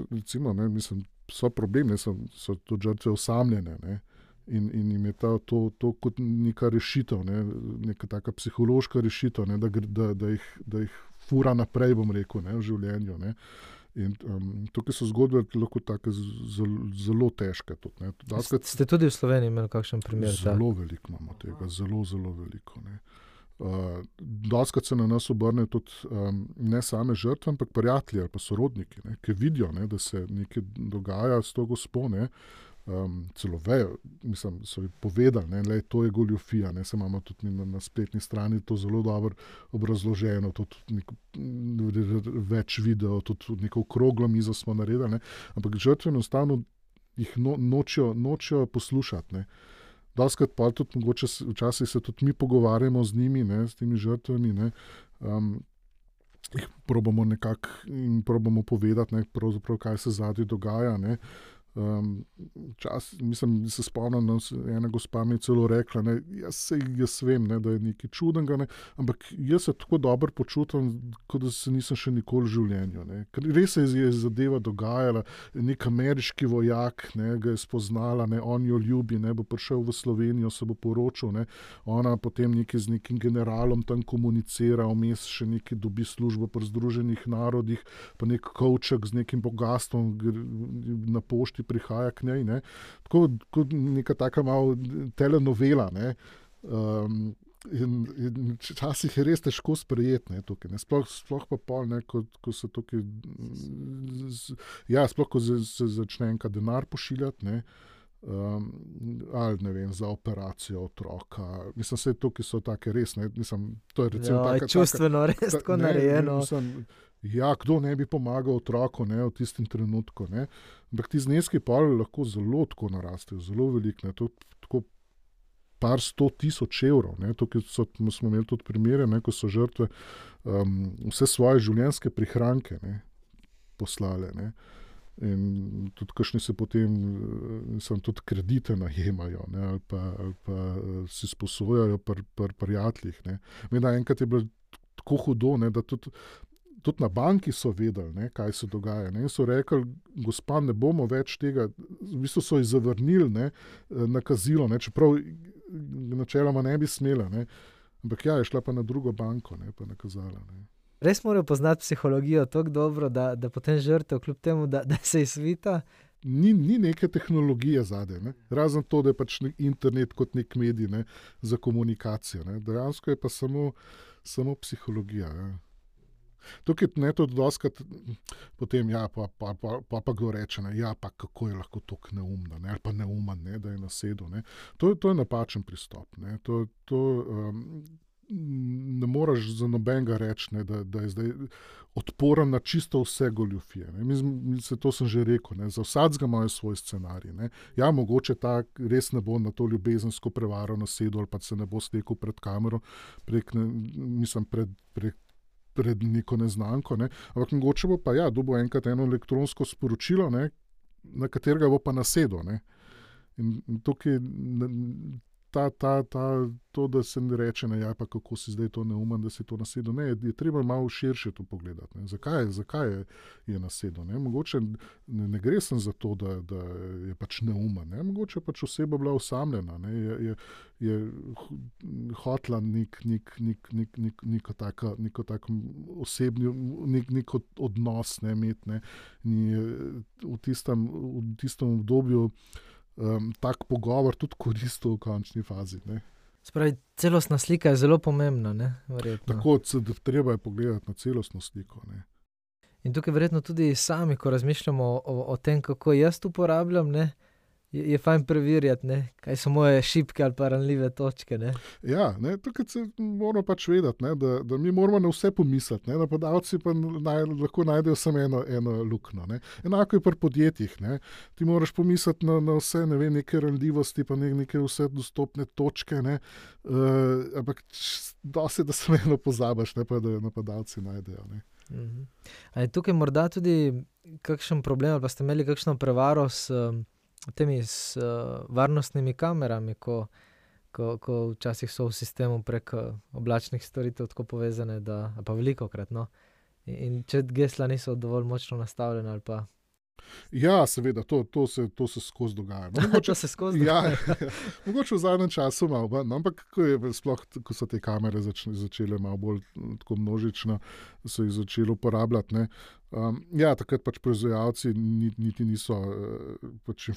recimo, ne, mislim, so problemi, so tudi žrtve osamljene, ne, in jim je to kot neka rešitev, ne, neka taka psihološka rešitev, ne, da jih fura naprej, bom rekel, ne, v življenju, ne. In tukaj so zgodbe lahko take zelo težke. Tudi, ne. Ste tudi v Sloveniji imeli kakšen primer? Zelo veliko imamo tega, zelo veliko. Ne. Dostikrat se na nas obrne tudi ne same žrtve, ampak prijatelji ali pa sorodniki, ne, ki vidijo, ne, da se nekaj dogaja s to gospo, ne, celo vejo, mislim, so ji povedali, ne, le, to je goljufija, ne, se imamo tudi na spletni strani to zelo dobro obrazloženo, tudi več video, tudi neko okroglo mizo smo naredili, ne, ampak žrtve enostavno jih nočejo poslušati, ne. Dostikrat pa tudi mogoče včasih se tudi mi pogovarjamo z njimi, ne, s temi žrtvami, ne, jih probamo povedati, ne, pravzaprav kaj se zadaj dogaja, ne. Mislim, se spomnim, da ena gospa mi je celo rekla, ne, jaz vem, ne, da je nekaj čudnega, ne, ampak jaz se tako dobro počutim, kot da se nisem še nikoli v življenju. Ne. Ker res se je zadeva dogajala, nek ameriški vojak, ne, ga je spoznala, ne, on jo ljubi, ne, bo prišel v Slovenijo, se bo poročil, ne, ona potem z nekim generalom tam komunicira, vmes še nekaj dobi službo pri Združenih narodih, pa nek kovček z nekim bogastvom na pošti prihaja k njej, ne. Tako kot neka taka malo telenovela, ne. In včasih je res težko sprejeti, ne, tukaj, ne. Sploh pa pol, ne, ko se tukaj sploh ko se začne enka denar pošiljati, ne, ali ne vem, za operacijo otroka. Mislim, vse tukaj so take res, ne, mislim, to je recimo čustveno res tako narejeno. Kdo ne bi pomagal otroku, ne, v tistem trenutku, ne. Ampak ti zneski pa lahko zelo tako narastejo, zelo veliko, ne, to tako par 100,000 evrov, ne. Tukaj smo imeli tudi primere, ne, ko so žrtve vse svoje življenjske prihranke, ne, poslale, ne. In tudi kakšni se potem tudi kredite najemajo, ne, ali pa si sposojajo pri prijateljih, ne. Vem, da enkrat je bilo tako hudo, ne, da tudi na banki so vedeli, ne, kaj se dogaja, ne, in so rekli, gospa, ne bomo več tega, v bistvu so ji zavrnili, ne, nakazilo, ne, čeprav načeloma ne bi smela, ne, ampak je šla pa na drugo banko, ne, pa nakazala, ne. Res morajo poznati psihologijo tako dobro, da potem žrtev, kljub temu, da se izvita. Ni neke tehnologije zadaj, ne, razen to, da je pač internet kot nek medij, ne, za komunikacijo, ne, dejansko je pa samo psihologija, ja. Tukaj ne tudi dostikrat potem, pa kdo reče, ne, pa kako je lahko tako neumna, ne, ali pa neumen, ne, da je nasedel, ne. To je napačen pristop, ne, to ne moreš za nobenega reči, ne, da je zdaj odporen na čisto vse goljufije, ne. To sem že rekel, ne, za vsakega imajo svoj scenarij, ne. Ja, mogoče ta res ne bo na to ljubezensko prevaro nasedel, ali pa se ne bo stekel pred kamero, pred neko neznanko, ne. Ampak mogoče bo pa dobil enkrat eno elektronsko sporočilo, ne, na katerega bo pa nasedel, ne. In tukaj to, da se ne reče, ne, ja, pa kako si zdaj to neumen, da si to nasedel. Ne, je treba malo širše to pogledati. Ne. Zakaj je nasedel? Ne. Mogoče ne gre sem za to, da je pač neumen. Ne. Mogoče pač oseba bila osamljena, ne. Je hotla neko tako osebni, nek odnos, ne, imeti, ne. V tistem obdobju tak pogovor tudi koristil v končni fazi. Ne. Spravi, celostna slika je zelo pomembna, ne? Verjetno. Tako, treba je pogledati na celostno sliko. Ne. In tukaj verjetno tudi sami, ko razmišljamo o tem, kako jaz uporabljam, ne, je fajn preverjati, ne, kaj so moje šibke ali pa ranljive točke. Ne. Ja, ne, tukaj se moramo pač vedeti, ne, da mi moramo na vse pomisliti. Ne, napadalci pa lahko najdejo samo eno luknjo. Ne. Enako je pri podjetjih. Ne. Ti moraš pomisliti na vse, ne vem, neke ranljivosti, pa neke vse dostopne točke. Ne. Ampak dosti, da samo eno pozabiš, ne, pa da napadalci najdejo. Ne. A je tukaj morda tudi kakšen problem, ali pa ste imeli kakšno prevaro s varnostnimi kamerami, ko včasih so v sistemu prek oblačnih storitev tako povezane, pa velikokrat, no. In če gesla niso dovolj močno nastavljena ali pa... Ja, seveda, to se skozi dogaja. No, to se skozi dogaja. Ja, mogoče v zadnjem času malo, no, ampak ko so te kamere začele malo bolj tako množično, so jih začeli uporabljati, ne. Ja, takrat pač proizvajalci niti niso pač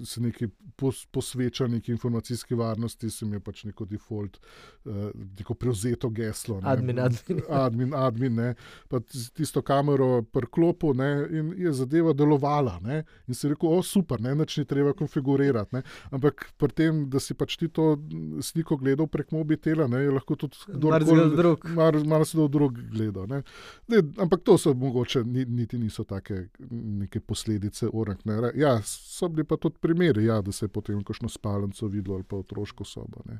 se neki posvečali neki informacijski varnosti, se mi je pač neko default, neko prevzeto geslo. Ne. Admin, ne. Pa tisto kamero priklopil, ne, in je zadeva delovala, ne. In si rekel, super, ne, nič ni treba konfigurirati, ne. Ampak pri tem, da si pač ti to sliko gledal prek mobitela, ne, je lahko tudi marsikdo drug gledal, ne. Ampak to so mogoče niti niso take neke posledice orang. Ne. Ja, so bili pa tudi primeri, ja, da se je potem kakšno spalnico videlo ali pa otroško sobo. Ne.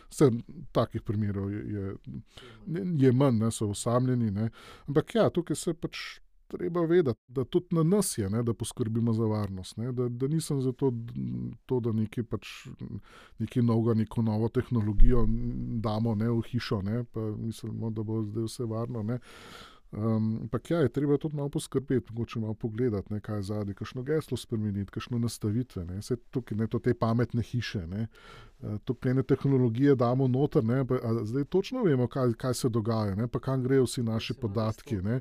Vse takih primerov je manj, ne, so osamljeni. Ne. Ampak ja, tukaj se pač treba vedeti, da tudi na nas je, ne, da poskrbimo za varnost. Ne. Da nisem za to, da nekaj novega, neko novo tehnologijo damo, ne, v hišo, ne, pa mislimo, da bo zdaj vse varno. Ne. Ampak ja, je treba tudi malo poskrbeti, mogoče malo pogledati, ne, kaj je zadaj, kakšno geslo spremeniti, kakšno nastavitve. Ne. Vse tukaj, ne, to te pametne hiše, ne. Tukaj ene tehnologije damo noter, ne, pa zdaj točno vemo, kaj se dogaja, ne, pa kam grejo vsi naši podatki. Ne.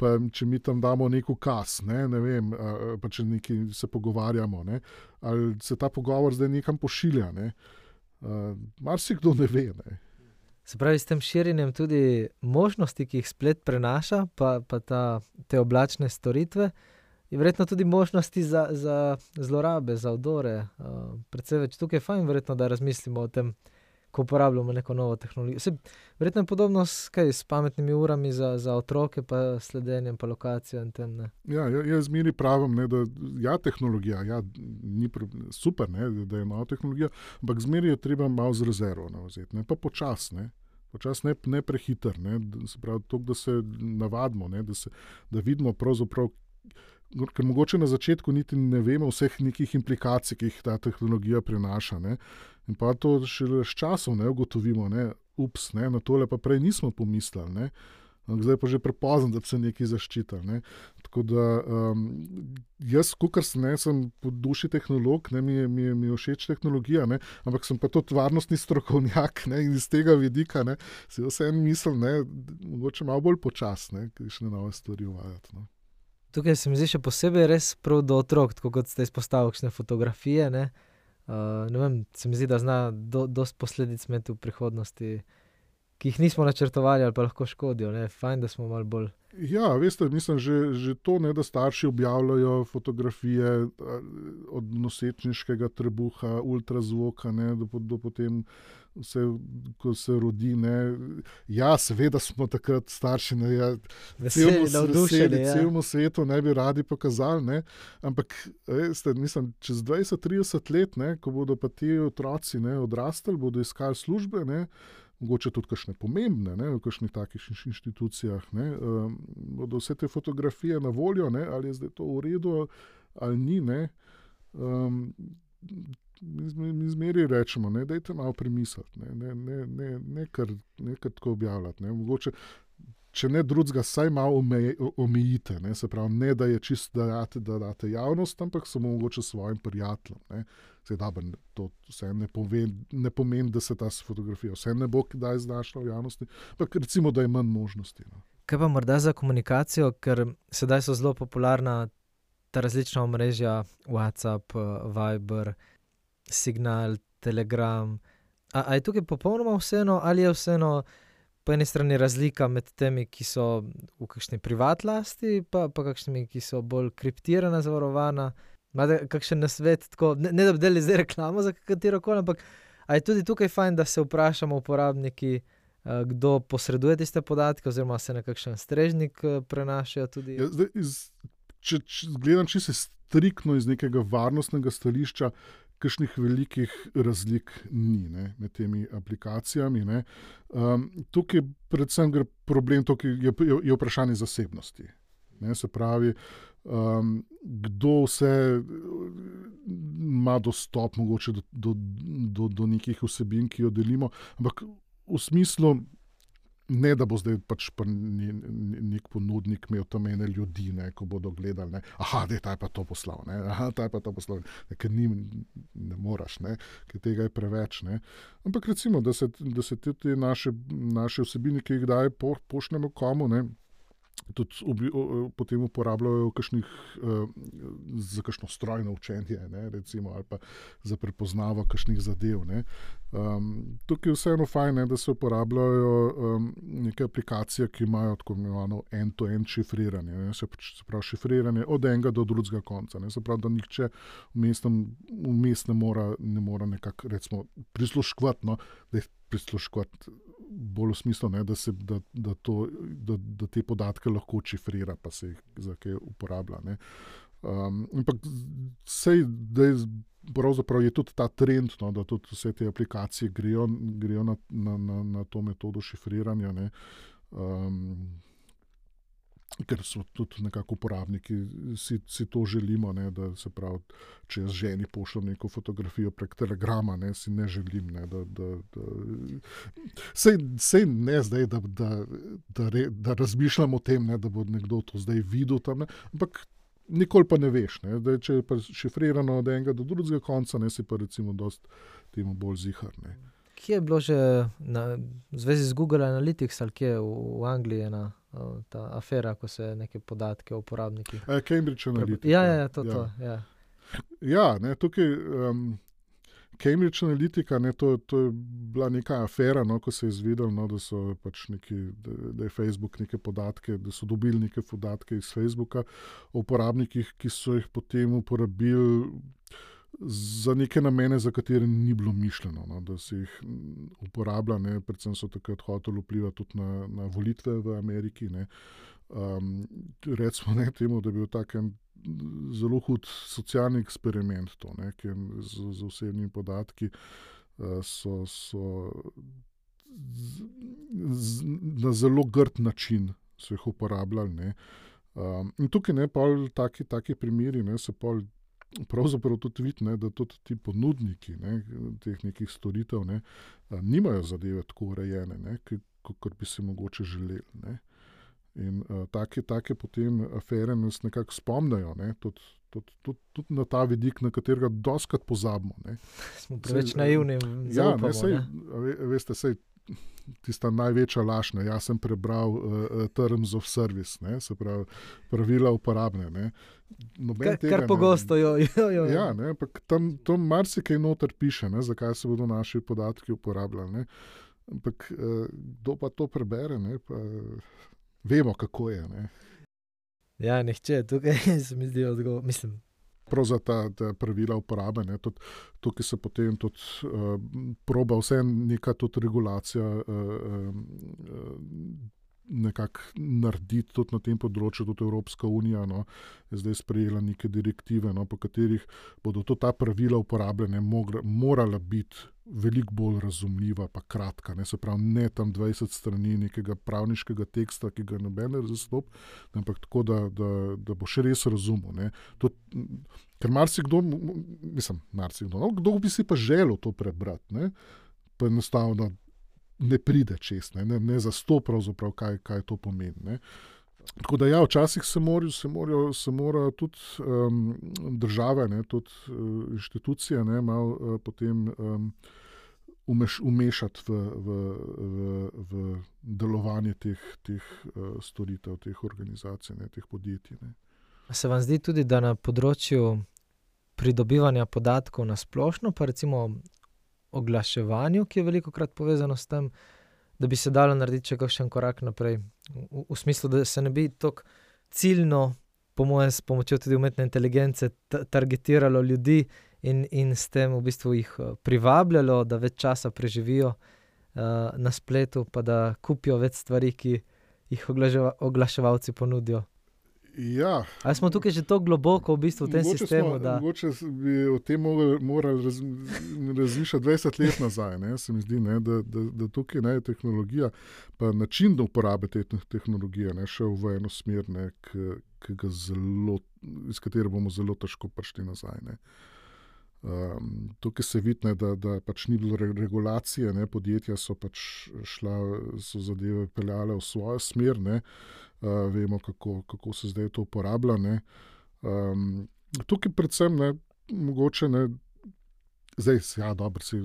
Pa če mi tam damo nek ukaz, ne vem, pa če nekaj se pogovarjamo, ne, ali se ta pogovor zdaj nekam pošilja. Ne. Marsikdo ne ve. Ne. Se pravi, s tem širjenjem tudi možnosti, ki jih splet prenaša, pa te oblačne storitve, je verjetno tudi možnosti za zlorabe, za vdore. Predvsej več tukaj je fajn verjetno, da razmislimo o tem, ko uporabljamo neko novo tehnologijo. Verjetno je podobno s pametnimi urami za otroke, pa sledenjem, pa lokacijo in tem. Ne. Ja, jaz zmeri pravim, ne, da ja, tehnologija, ja, ni super, ne, da je nova tehnologija, ampak zmeri je treba malo z rezervo vzeti, ne, pa počas, ne. Počas ne prehiter, ne, se pravi, toliko, da se navadimo, ne, da vidimo pravzaprav, ker mogoče na začetku niti ne vemo vseh nekih implikacij, ki jih ta tehnologija prinaša, ne. In pa to šele s časom, ne, ugotovimo, ne, ne, na tole pa prej nismo pomislili, ne. Zdaj pa že prepozno, da bi se nekaj zaščitili, ne. Tako da jaz, kakor sem po duši tehnolog, ne, mi je všeč tehnologija, ne, ampak sem pa tudi varnostni strokovnjak, ne, in iz tega vidika, ne, si vseeno mislim, ne, mogoče malo bolj počas, ne, kakšne nove stvari uvajati, no. Tukaj se mi zdi še posebej res prav do otrok, tako kot ste izpostavili kakšne fotografije, ne. Ne vem, se mi zdi, da zna dosti posledic imeti v prihodnosti, ki jih nismo načrtovali ali pa lahko škodijo, ne. Fajn, da smo malo bolj... Ja, veste, mislim, že to, ne, da starši objavljajo fotografije od nosečniškega trebuha, ultrazvoka, ne, do potem vse, ko se rodi, ne. Ja, seveda smo takrat starši, ne, ja, celemu svetu ne bi radi pokazali, ne, ampak veste, mislim, čez 20-30 let, ne, ko bodo pa ti otroci, ne, odrastali, bodo iskali službe, ne, mogoče tudi kakšne pomembne, ne, v kakšnih takih inštitucijah, ne, bodo vse te fotografije na voljo, ne, ali je zdaj to v redu ali ni, ne. mi zmeri rečemo, ne, dajte malo premisliti, ne kar tako objavljati. Ne. Mogoče, če ne drugega, saj malo omejite, ne, se pravi, ne da je čisto da date javnost, ampak samo mogoče svojim prijateljem. Ne. To vse ne pomeni, da se ta fotografija vse ne bo kdaj znašla v javnosti, ampak recimo, da je manj možnosti. No. Kaj pa morda za komunikacijo, ker sedaj so zelo popularna ta različna omrežja, WhatsApp, Viber, Signal, Telegram. A je tukaj popolnoma vseeno, ali je vseeno po eni strani razlika med temi, ki so v kakšni privat lasti, pa kakšnimi, ki so bolj kriptirana, zavarovana? Imate kakšen nasvet, tako, ne da bi delali zdaj reklamo za katerokoli, ampak a je tudi tukaj fajn, da se vprašamo uporabniki, kdo posreduje tiste podatke, oziroma se na kakšen strežnik prenašajo tudi? Ja, zdaj, če gledam čisto striktno iz nekega varnostnega stališča, kakšnih velikih razlik ni, ne, med temi aplikacijami. Ne. Tukaj predvsem gre problem, je vprašanje zasebnosti. Ne, se pravi, kdo vse ima dostop mogoče do nekih vsebin, ki jo delimo, ampak v smislu, ne da bo zdaj pač nek ponudnik imel tam ene ljudi, ne, ko bodo gledali, ne, ta je pa to poslal, ne, ta je pa to poslal, ker ne moraš, ne, ker tega je preveč. Ne. Ampak recimo, da se te naše vsebine, ki jih daj pošljemo komu, ne, tudi potem uporabljajo za kakšno strojno učenje, ne, recimo, ali pa za prepoznavo kakšnih zadev. Ne. Tukaj je vseeno fajn, ne, da se uporabljajo neke aplikacije, ki imajo tako imenovano end-to-end šifriranje. Ne. Se pravi, šifriranje od enega do drugega konca. Ne. Se pravi, da nihče vmes ne mora nekako, recimo, prisluškovati, no, da je prisluškovati bolj v smislu, ne, da te podatke lahko šifrira, pa se jih za kaj uporablja. Ne. Ampak pravzaprav je tudi ta trend, no, da tudi vse te aplikacije grejo na to metodo šifriranja, ne. Ker so tudi nekako uporabniki, si to želimo, ne, da se pravi, če jaz ženi pošljem neko fotografijo prek Telegrama, ne, si ne želim, ne, sej ne zdaj, da razmišljam o tem, ne, da bo nekdo to zdaj videl tam, ne, ampak nikoli pa ne veš, ne, da če je pa šifrirano od enega do drugega konca, ne, si pa recimo dosti temu bolj zihar, ne. Kje je bilo že v zvezi z Google Analytics, ali kje v Angliji ena ta afera, ko se neke podatke o uporabnikih... Cambridge Analytica. Ja. Ja, ne, tukaj Cambridge Analytica, ne, to je bila neka afera, no, ko se je izvedelo, no, da so pač da je Facebook neke podatke, da so dobili neke podatke iz Facebooka o uporabnikih, ki so jih potem uporabili za neke namene, za katere ni bilo mišljeno, no, da se jih uporablja, ne, predvsem so takrat hoteli vplivati tudi na volitve v Ameriki. Ne. Recimo, ne, temu, da je bil tak en zelo hud socialni eksperiment to, ne, ker z osebnimi podatki so na zelo grd način so jih uporabljali. Ne. In tukaj ne, pol taki primeri, ne, se pol pravzaprav tudi vidi, ne, da tudi ti ponudniki, ne, teh nekih storitev, ne, nimajo zadeve tako urejene, ne, kot bi se mogoče želeli. Ne. In take potem afere nas nekako spomnijo, ne, tudi na ta vidik, na katerega dostikrat pozabimo. Ne. Smo preveč naivni in zaupamo. Veste, sej tista največja laž, ne, jaz sem prebral Terms of Service, ne, se pravi pravila uporabne. Ne. Kar pogosto jo. Ja, ne, ampak tam marsikaj noter piše, ne, zakaj se bodo naši podatki uporabljali. Ne. Ampak kdo pa to prebere, ne, pa vemo, kako je. Ne. Ja, nihče, tukaj se mi zdi odgovor, mislim. Prav za ta pravila uporabe, ne, tukaj se potem tudi proba vse neka tudi regulacija nekako narediti tudi na tem področju, tudi Evropska unija, no, je zdaj sprejela neke direktive, no, po katerih bodo ta pravila uporabljene morala biti veliko bolj razumljiva pa kratka, ne, se pravi ne tam 20 strani nekega pravniškega teksta, ki ga noben ne zastop, ampak tako, da bo še res razumel, ne. Ker marsikdo, kdo bi si pa želel to prebrati, ne, pa enostavno ne pride čez, ne zastop pravzaprav, kaj to pomeni, ne. Tako da ja, včasih se morajo tudi države, ne, tudi inštitucije, ne, malo potem umešati v delovanje teh storitev, teh organizacij, ne, teh podjetij. Ne. Se vam zdi tudi, da na področju pridobivanja podatkov na splošno, pa recimo oglaševanju, ki je velikokrat povezano s tem, da bi se dalo narediti še kakšen korak naprej? V smislu, da se ne bi toliko ciljno, po mojem, s pomočjo tudi umetne inteligence, targetiralo ljudi in s tem v bistvu jih privabljalo, da več časa preživijo na spletu, pa da kupijo več stvari, ki jih oglaševalci ponudijo. Ja. Ali smo tukaj že tako globoko v bistvu v tem sistemu? Mogoče bi o tem morali razmišljati 20 let nazaj. Ne? Se mi zdi, ne, da tukaj ne, tehnologija, pa način uporabe te tehnologije ne, šel v eno smer, ne, iz katere bomo zelo težko prišli nazaj. Ne. Tukaj se vidi, ne, da pač ni bilo regulacije, ne, podjetja so pač so zadeve peljale v svojo smer, ne. Vemo, kako se zdaj to uporablja. Ne. Tukaj predvsem, ne, mogoče, ne, zdaj, ja, dobro, se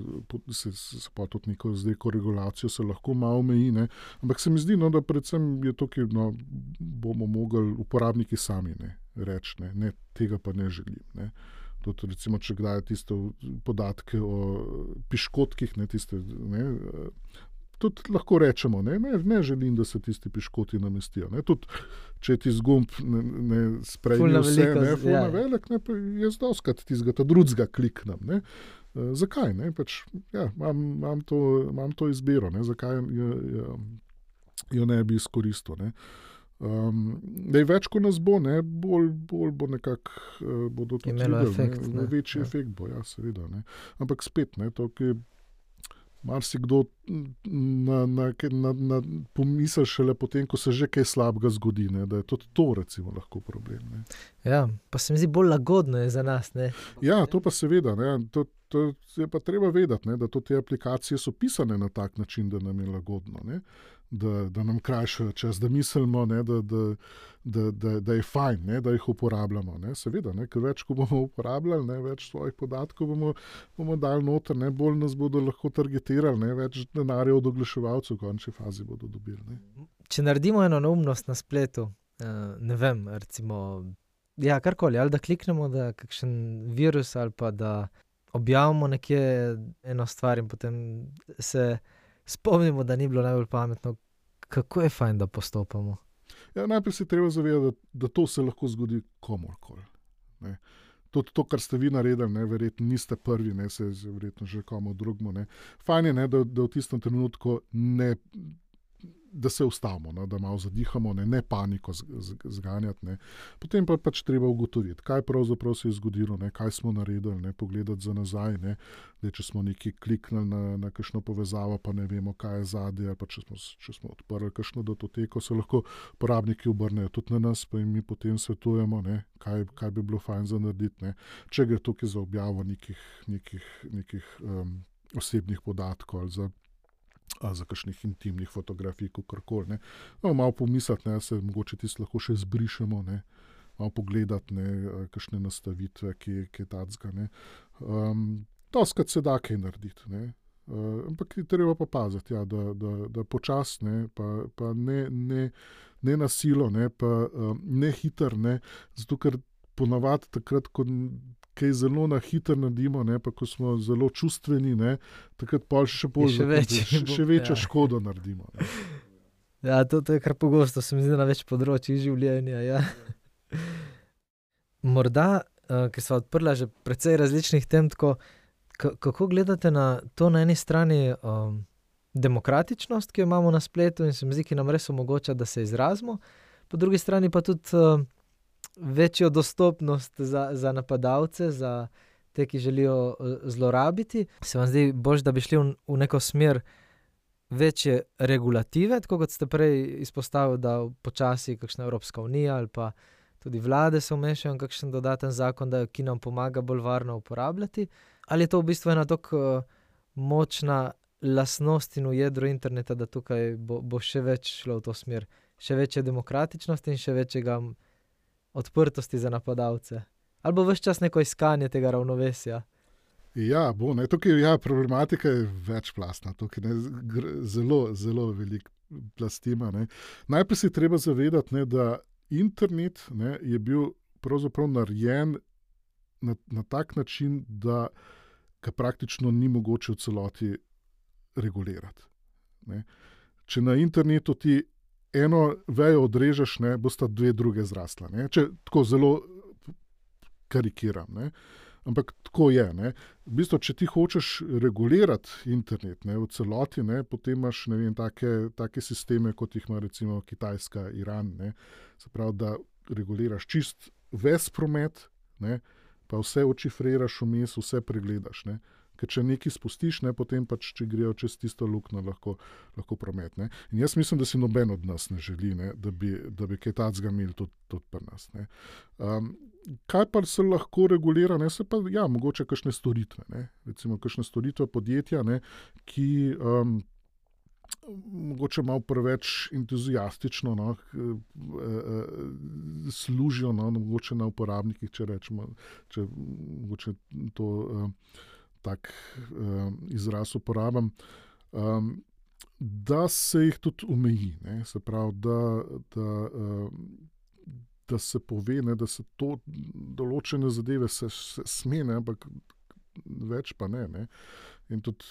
pa tudi neko regulacijo se lahko malo omeji, ne, ampak se mi zdi, no, da predvsem je tukaj, no, bomo mogli uporabniki sami, ne, reči, ne, tega pa ne želim, ne. Tudi recimo, če kdaj tiste podatke o piškotkih, ne, tiste, ne, tudi lahko rečemo, ne želim, da se tisti piškoti namestijo. Ne. Tudi, če ti zgumb ne sprejme vse, ne, ful na velik, ne, pa jaz doskrat tistega drugega kliknem. Ne. Zakaj? Ne? Pač, ja, imam to izbiro, ne? Zakaj jo ne bi izkoristil. Ne? Več, ko nas bo, ne, bolj bo nekako bodo tudi efekt, večji efekt bo, ja, seveda. Ne. Ampak spet, ne, to, ki marsikdo pomisli šele potem, ko se že kaj slabega zgodi, ne, da je tudi to recimo lahko problem. Ne. Ja, pa se mi zdi bolj lagodno je za nas. Ne. Ja, to pa seveda, ne, to je pa treba vedeti, ne, da te aplikacije so pisane na tak način, da nam je lagodno, ne. Da nam krajšajo čas, da mislimo, ne, da je fajn, ne, da jih uporabljamo. Ne. Seveda, ne, ker več, ko bomo uporabljali, ne, več svojih podatkov bomo dali noter, ne, bolj nas bodo lahko targetirali, ne, več denarja od oglaševalcev v končni fazi bodo dobili. Ne. Če naredimo eno neumnost na spletu, ne vem, recimo, ja, karkoli, ali da kliknemo, da kakšen virus, ali pa da objavimo nekje eno stvar in potem se spomnimo, da ni bilo najbolj pametno. Kako je fajn, da postopamo? Ja, najprej se treba zavedati, da to se lahko zgodi komorkoli. Ne. Tudi to, kar ste vi naredili, ne, verjetno niste prvi, ne, se je verjetno že komu drugemu. Ne. Fajn je, ne, da v tistem trenutku da se ustavimo, ne, da malo zadihamo, ne paniko zganjati. Ne. Potem pa pač treba ugotoviti, kaj pravzaprav se je zgodilo, ne, kaj smo naredili, ne, pogledati za nazaj, ne, da če smo nekaj kliknili na kakšno povezavo, pa ne vemo, kaj je zadaj, ali pa če smo odprli kakšno datoteko, se lahko uporabniki obrnejo tudi na nas, pa jim mi potem svetujemo, ne, kaj bi bilo fajn za narediti. Ne. Če gre tukaj za objavo nekih osebnih podatkov ali za kakšnih intimnih fotografij, kakorkoli. Ne. No, malo pomisliti, ne, se mogoče tisto lahko še zbrišemo, ne, malo pogledati, ne, kakšne nastavitve, ki je tacga. Doskrat se da kaj narediti, ne. Ampak treba pa paziti, ja, da počasi, ne, pa ne na silo, ne, pa ne hiter, ne, zato ker ponavadi takrat, ko kaj zelo na hiter naredimo, ne, pa ko smo zelo čustveni, ne, takrat pa še večjo škodo naredimo. Ne. Ja, to je kar pogosto, se mi zdi na več področjih življenja. Ja. Morda, ker sva odprla že precej različnih tem, tako, kako gledate na to na eni strani demokratičnost, ki jo imamo na spletu in se mi zdi, ki nam res omogoča, da se izrazimo. Po drugi strani pa tudi večjo dostopnost za napadalce, za te, ki želijo zlorabiti. Se vam zdi bolj, da bi šli v neko smer večje regulative, tako kot ste prej izpostavili, da počasi kakšna Evropska unija ali pa tudi vlade se vmešajo in kakšen dodaten zakon, ki nam pomaga bolj varno uporabljati. Ali je to v bistvu ena tako močna lastnost in v jedru interneta, da tukaj bo še več šlo v to smer, še večje demokratičnosti in še večjega odprtosti za napadalce? Ali bo ves čas neko iskanje tega ravnovesja? Ja, tukaj problematika je večplastna, tukaj zelo, zelo velik plastima. Najprej si treba zavedati, da internet je bil pravzaprav narejen na tak način, da ga praktično ni mogoče v celoti regulirati. Če na internetu ti eno vejo odrežeš, bosta dve druge zrasla. Če tako zelo karikiram. Ampak tako je. V bistvu, če ti hočeš regulirati internet v celoti, potem imaš take sisteme, kot jih ima recimo Kitajska, Iran. Se pravi, da reguliraš čist ves promet, pa vse odšifriraš vmes, vse pregledaš. Ker če nekaj spustiš, potem pač, če grejo čez tisto luknjo, lahko promet. In jaz mislim, da si noben od nas ne želi, da bi kaj takega imeli tudi pri nas. Kaj pa se lahko regulira? Se pa, mogoče kakšne storitve. Recimo kakšne storitve podjetja, ki mogoče malo preveč entuziastično služijo, mogoče na uporabnikih, če rečemo, če mogoče to tak izraz uporabam, da se jih tudi omeji. Se pravi, da se pove, da se to določene zadeve se sme, ampak več pa ne. In tudi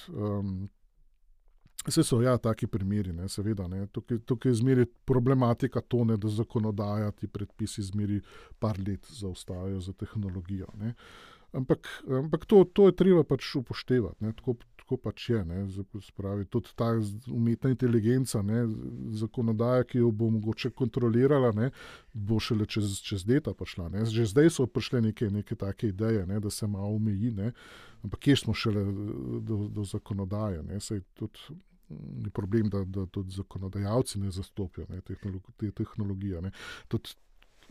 vse so taki primeri, seveda. Tukaj je zmeri problematika to, da zakonodaja, ti predpisi zmeri par let zaostajajo za tehnologijo. Ampak to je treba pač upoštevati, tako pač je. Spravi, tudi ta umetna inteligenca, zakonodaja, ki jo bo mogoče kontrolirala, bo šele čez leta prišla. Že zdaj so prišle neke take ideje, da se malo omeji, ampak kje smo šele do zakonodaje. Saj tudi je problem, da tudi zakonodajalci ne zastopijo te tehnologije. Tudi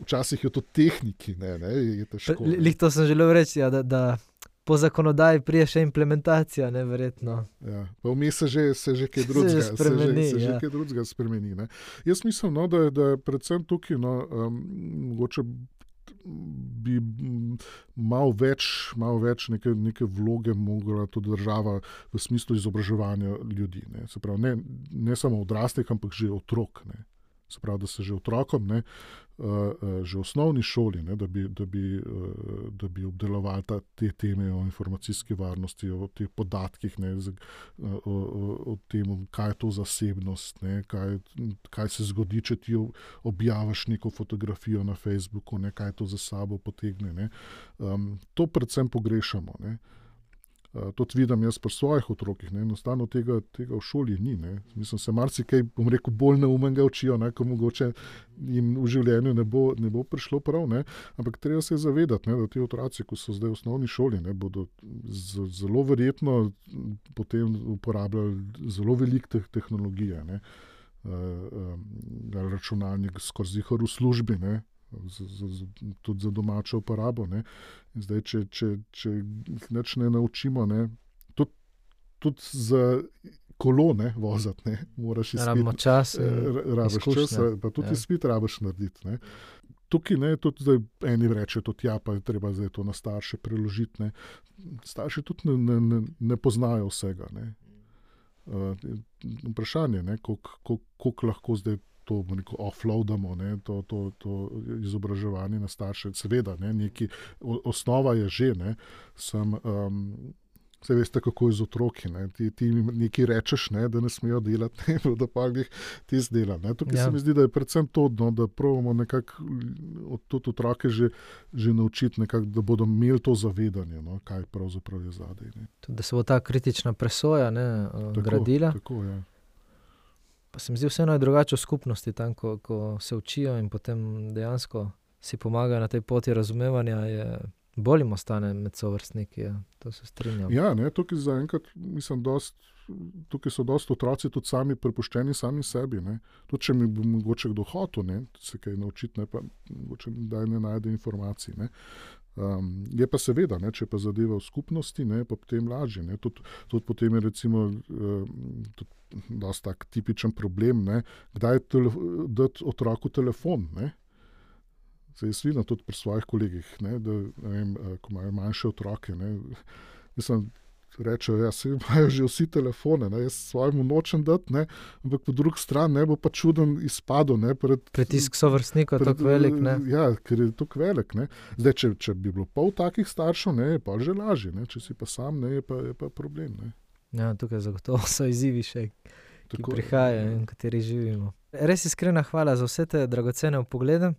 včasih je to tehniki, je težko. To sem želel reči, da po zakonodaji prije še implementacija, verjetno. Ja, pa vmes se že kaj drugega spremeni. Jaz mislim, da je predvsem tukaj, mogoče bi malo več neke vloge mogla tudi država v smislu izobraževanja ljudi. Se pravi, ne samo odraslih, ampak že otrok. Se pravi, da se že otrokom, že v osnovni šoli, da bi obdelovali te teme o informacijski varnosti, o teh podatkih, o tem, kaj je to zasebnost, kaj se zgodi, če ti objaviš neko fotografijo na Facebooku, kaj to za sabo potegne. To predvsem pogrešamo. Tudi vidim jaz pri svojih otrokih, enostavno tega v šoli ni. Mislim, se marsikaj, bolj neumnega učijo, ko mogoče jim v življenju ne bo prišlo prav, ampak treba se zavedati, da ti otroci, ko so zdaj v osnovni šoli, bodo zelo verjetno potem uporabljali zelo veliko tehnologije, računalnik skozi v službi, tudi za domačo uporabo. In zdaj, če jih nič ne naučimo, tudi za kolo voziti, moraš izpit. Rabimo čas, pa tudi izpit rabiš narediti. Tukaj tudi zdaj eni reče, tudi pa je treba zdaj to na starše preložiti. Starši tudi ne poznajo vsega. Vprašanje, koliko lahko zdaj to offloadamo, to izobraževanje na starše. Seveda, osnova je že, Saj veste, kako je z otroki. Ne? Ti nekaj rečeš, ne? Da ne smejo delati, ne? Da pa jih ti zdela. Tukaj se mi zdi, da je predvsem to, no, da pravimo nekako tudi otroke že naučiti, nekako, da bodo imeli to zavedanje, no? Kaj pravzaprav je zadej. Tudi, da se bo ta kritična presoja gradila. Tako, ja. Pa se mi zdi vseeno je drugače v skupnosti, tam, ko se učijo in potem dejansko si pomagajo na tej poti razumevanja, je bolj jim ostane med sovrstniki, to se strinjam. Ja, ne, tukaj zaenkrat, mislim, tukaj so dosti otroci tudi sami prepuščeni sami sebi, ne. Tudi, če mi bo mogoče kdo hotel, ne, se kaj naučiti, ne, pa mogoče da ne najde informacij, ne. Je pa seveda, ne, če pa zadeva v skupnosti, ne, pa potem lažje, ne. Tudi potem je recimo dosti tak tipičen problem, ne, kdaj dati otroku telefon, ne. Se jaz vidim tudi pri svojih kolegih, ne, da, ne vem, ko imajo manjše otroke, ne, mislim, rečejo, ja, se imajo že vsi telefone, ne, jaz svojemu nočem dati, ne, ampak po drugi strani ne bo pa čuden izpadel, ne, pritisk sovrstnika je tako velik, ne. Ja, ker je tako velik, ne. Zdaj, če bi bilo pol takih staršev, ne, je pa že lažje, ne, če si pa sam, ne, je pa problem, ne. Ja, tukaj zagotovo so izzivi še, ki prihajajo in v kateri živimo. Res iskrena hvala za vse te dragocene vpoglede.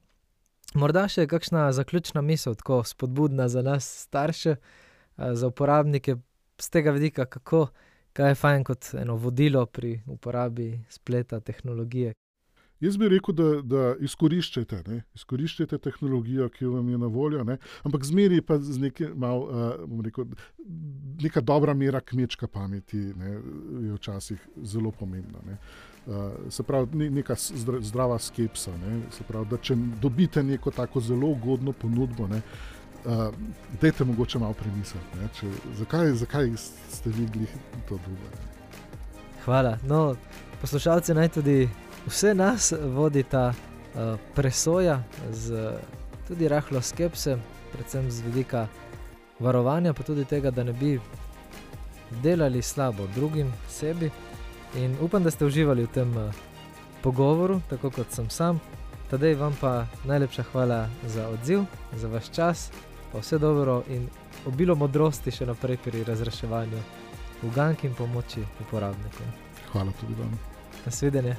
Morda še kakšna zaključna misel, tako spodbudna za nas starše, za uporabnike z tega vidika, kaj je fajn kot eno vodilo pri uporabi spleta, tehnologije. Jaz bi rekel, da izkoriščajte, ne? Izkoriščajte tehnologijo, ki vam je na voljo, ne? Ampak zmeri pa z neka dobra mera kmečka pameti, ne? Je včasih zelo pomembna, ne? Se pravi, neka zdrava skepsa, ne? Se pravi, da če dobite neko tako zelo ugodno ponudbo, ne? Dajte mogoče malo premisliti, ne? Zakaj ste vi glih to drugo? Hvala. No, poslušalci naj tudi vse nas vodi ta presoja z tudi rahlo skepse, predvsem z vidika varovanja, pa tudi tega, da ne bi delali slabo drugim, sebi. In upam, da ste uživali v tem pogovoru, tako kot sem sam. Tadej, vam pa najlepša hvala za odziv, za vaš čas, pa vse dobro in obilo modrosti še naprej pri razreševanju ugank in pomoči uporabnikom. Hvala tudi vam. Nasvidenje.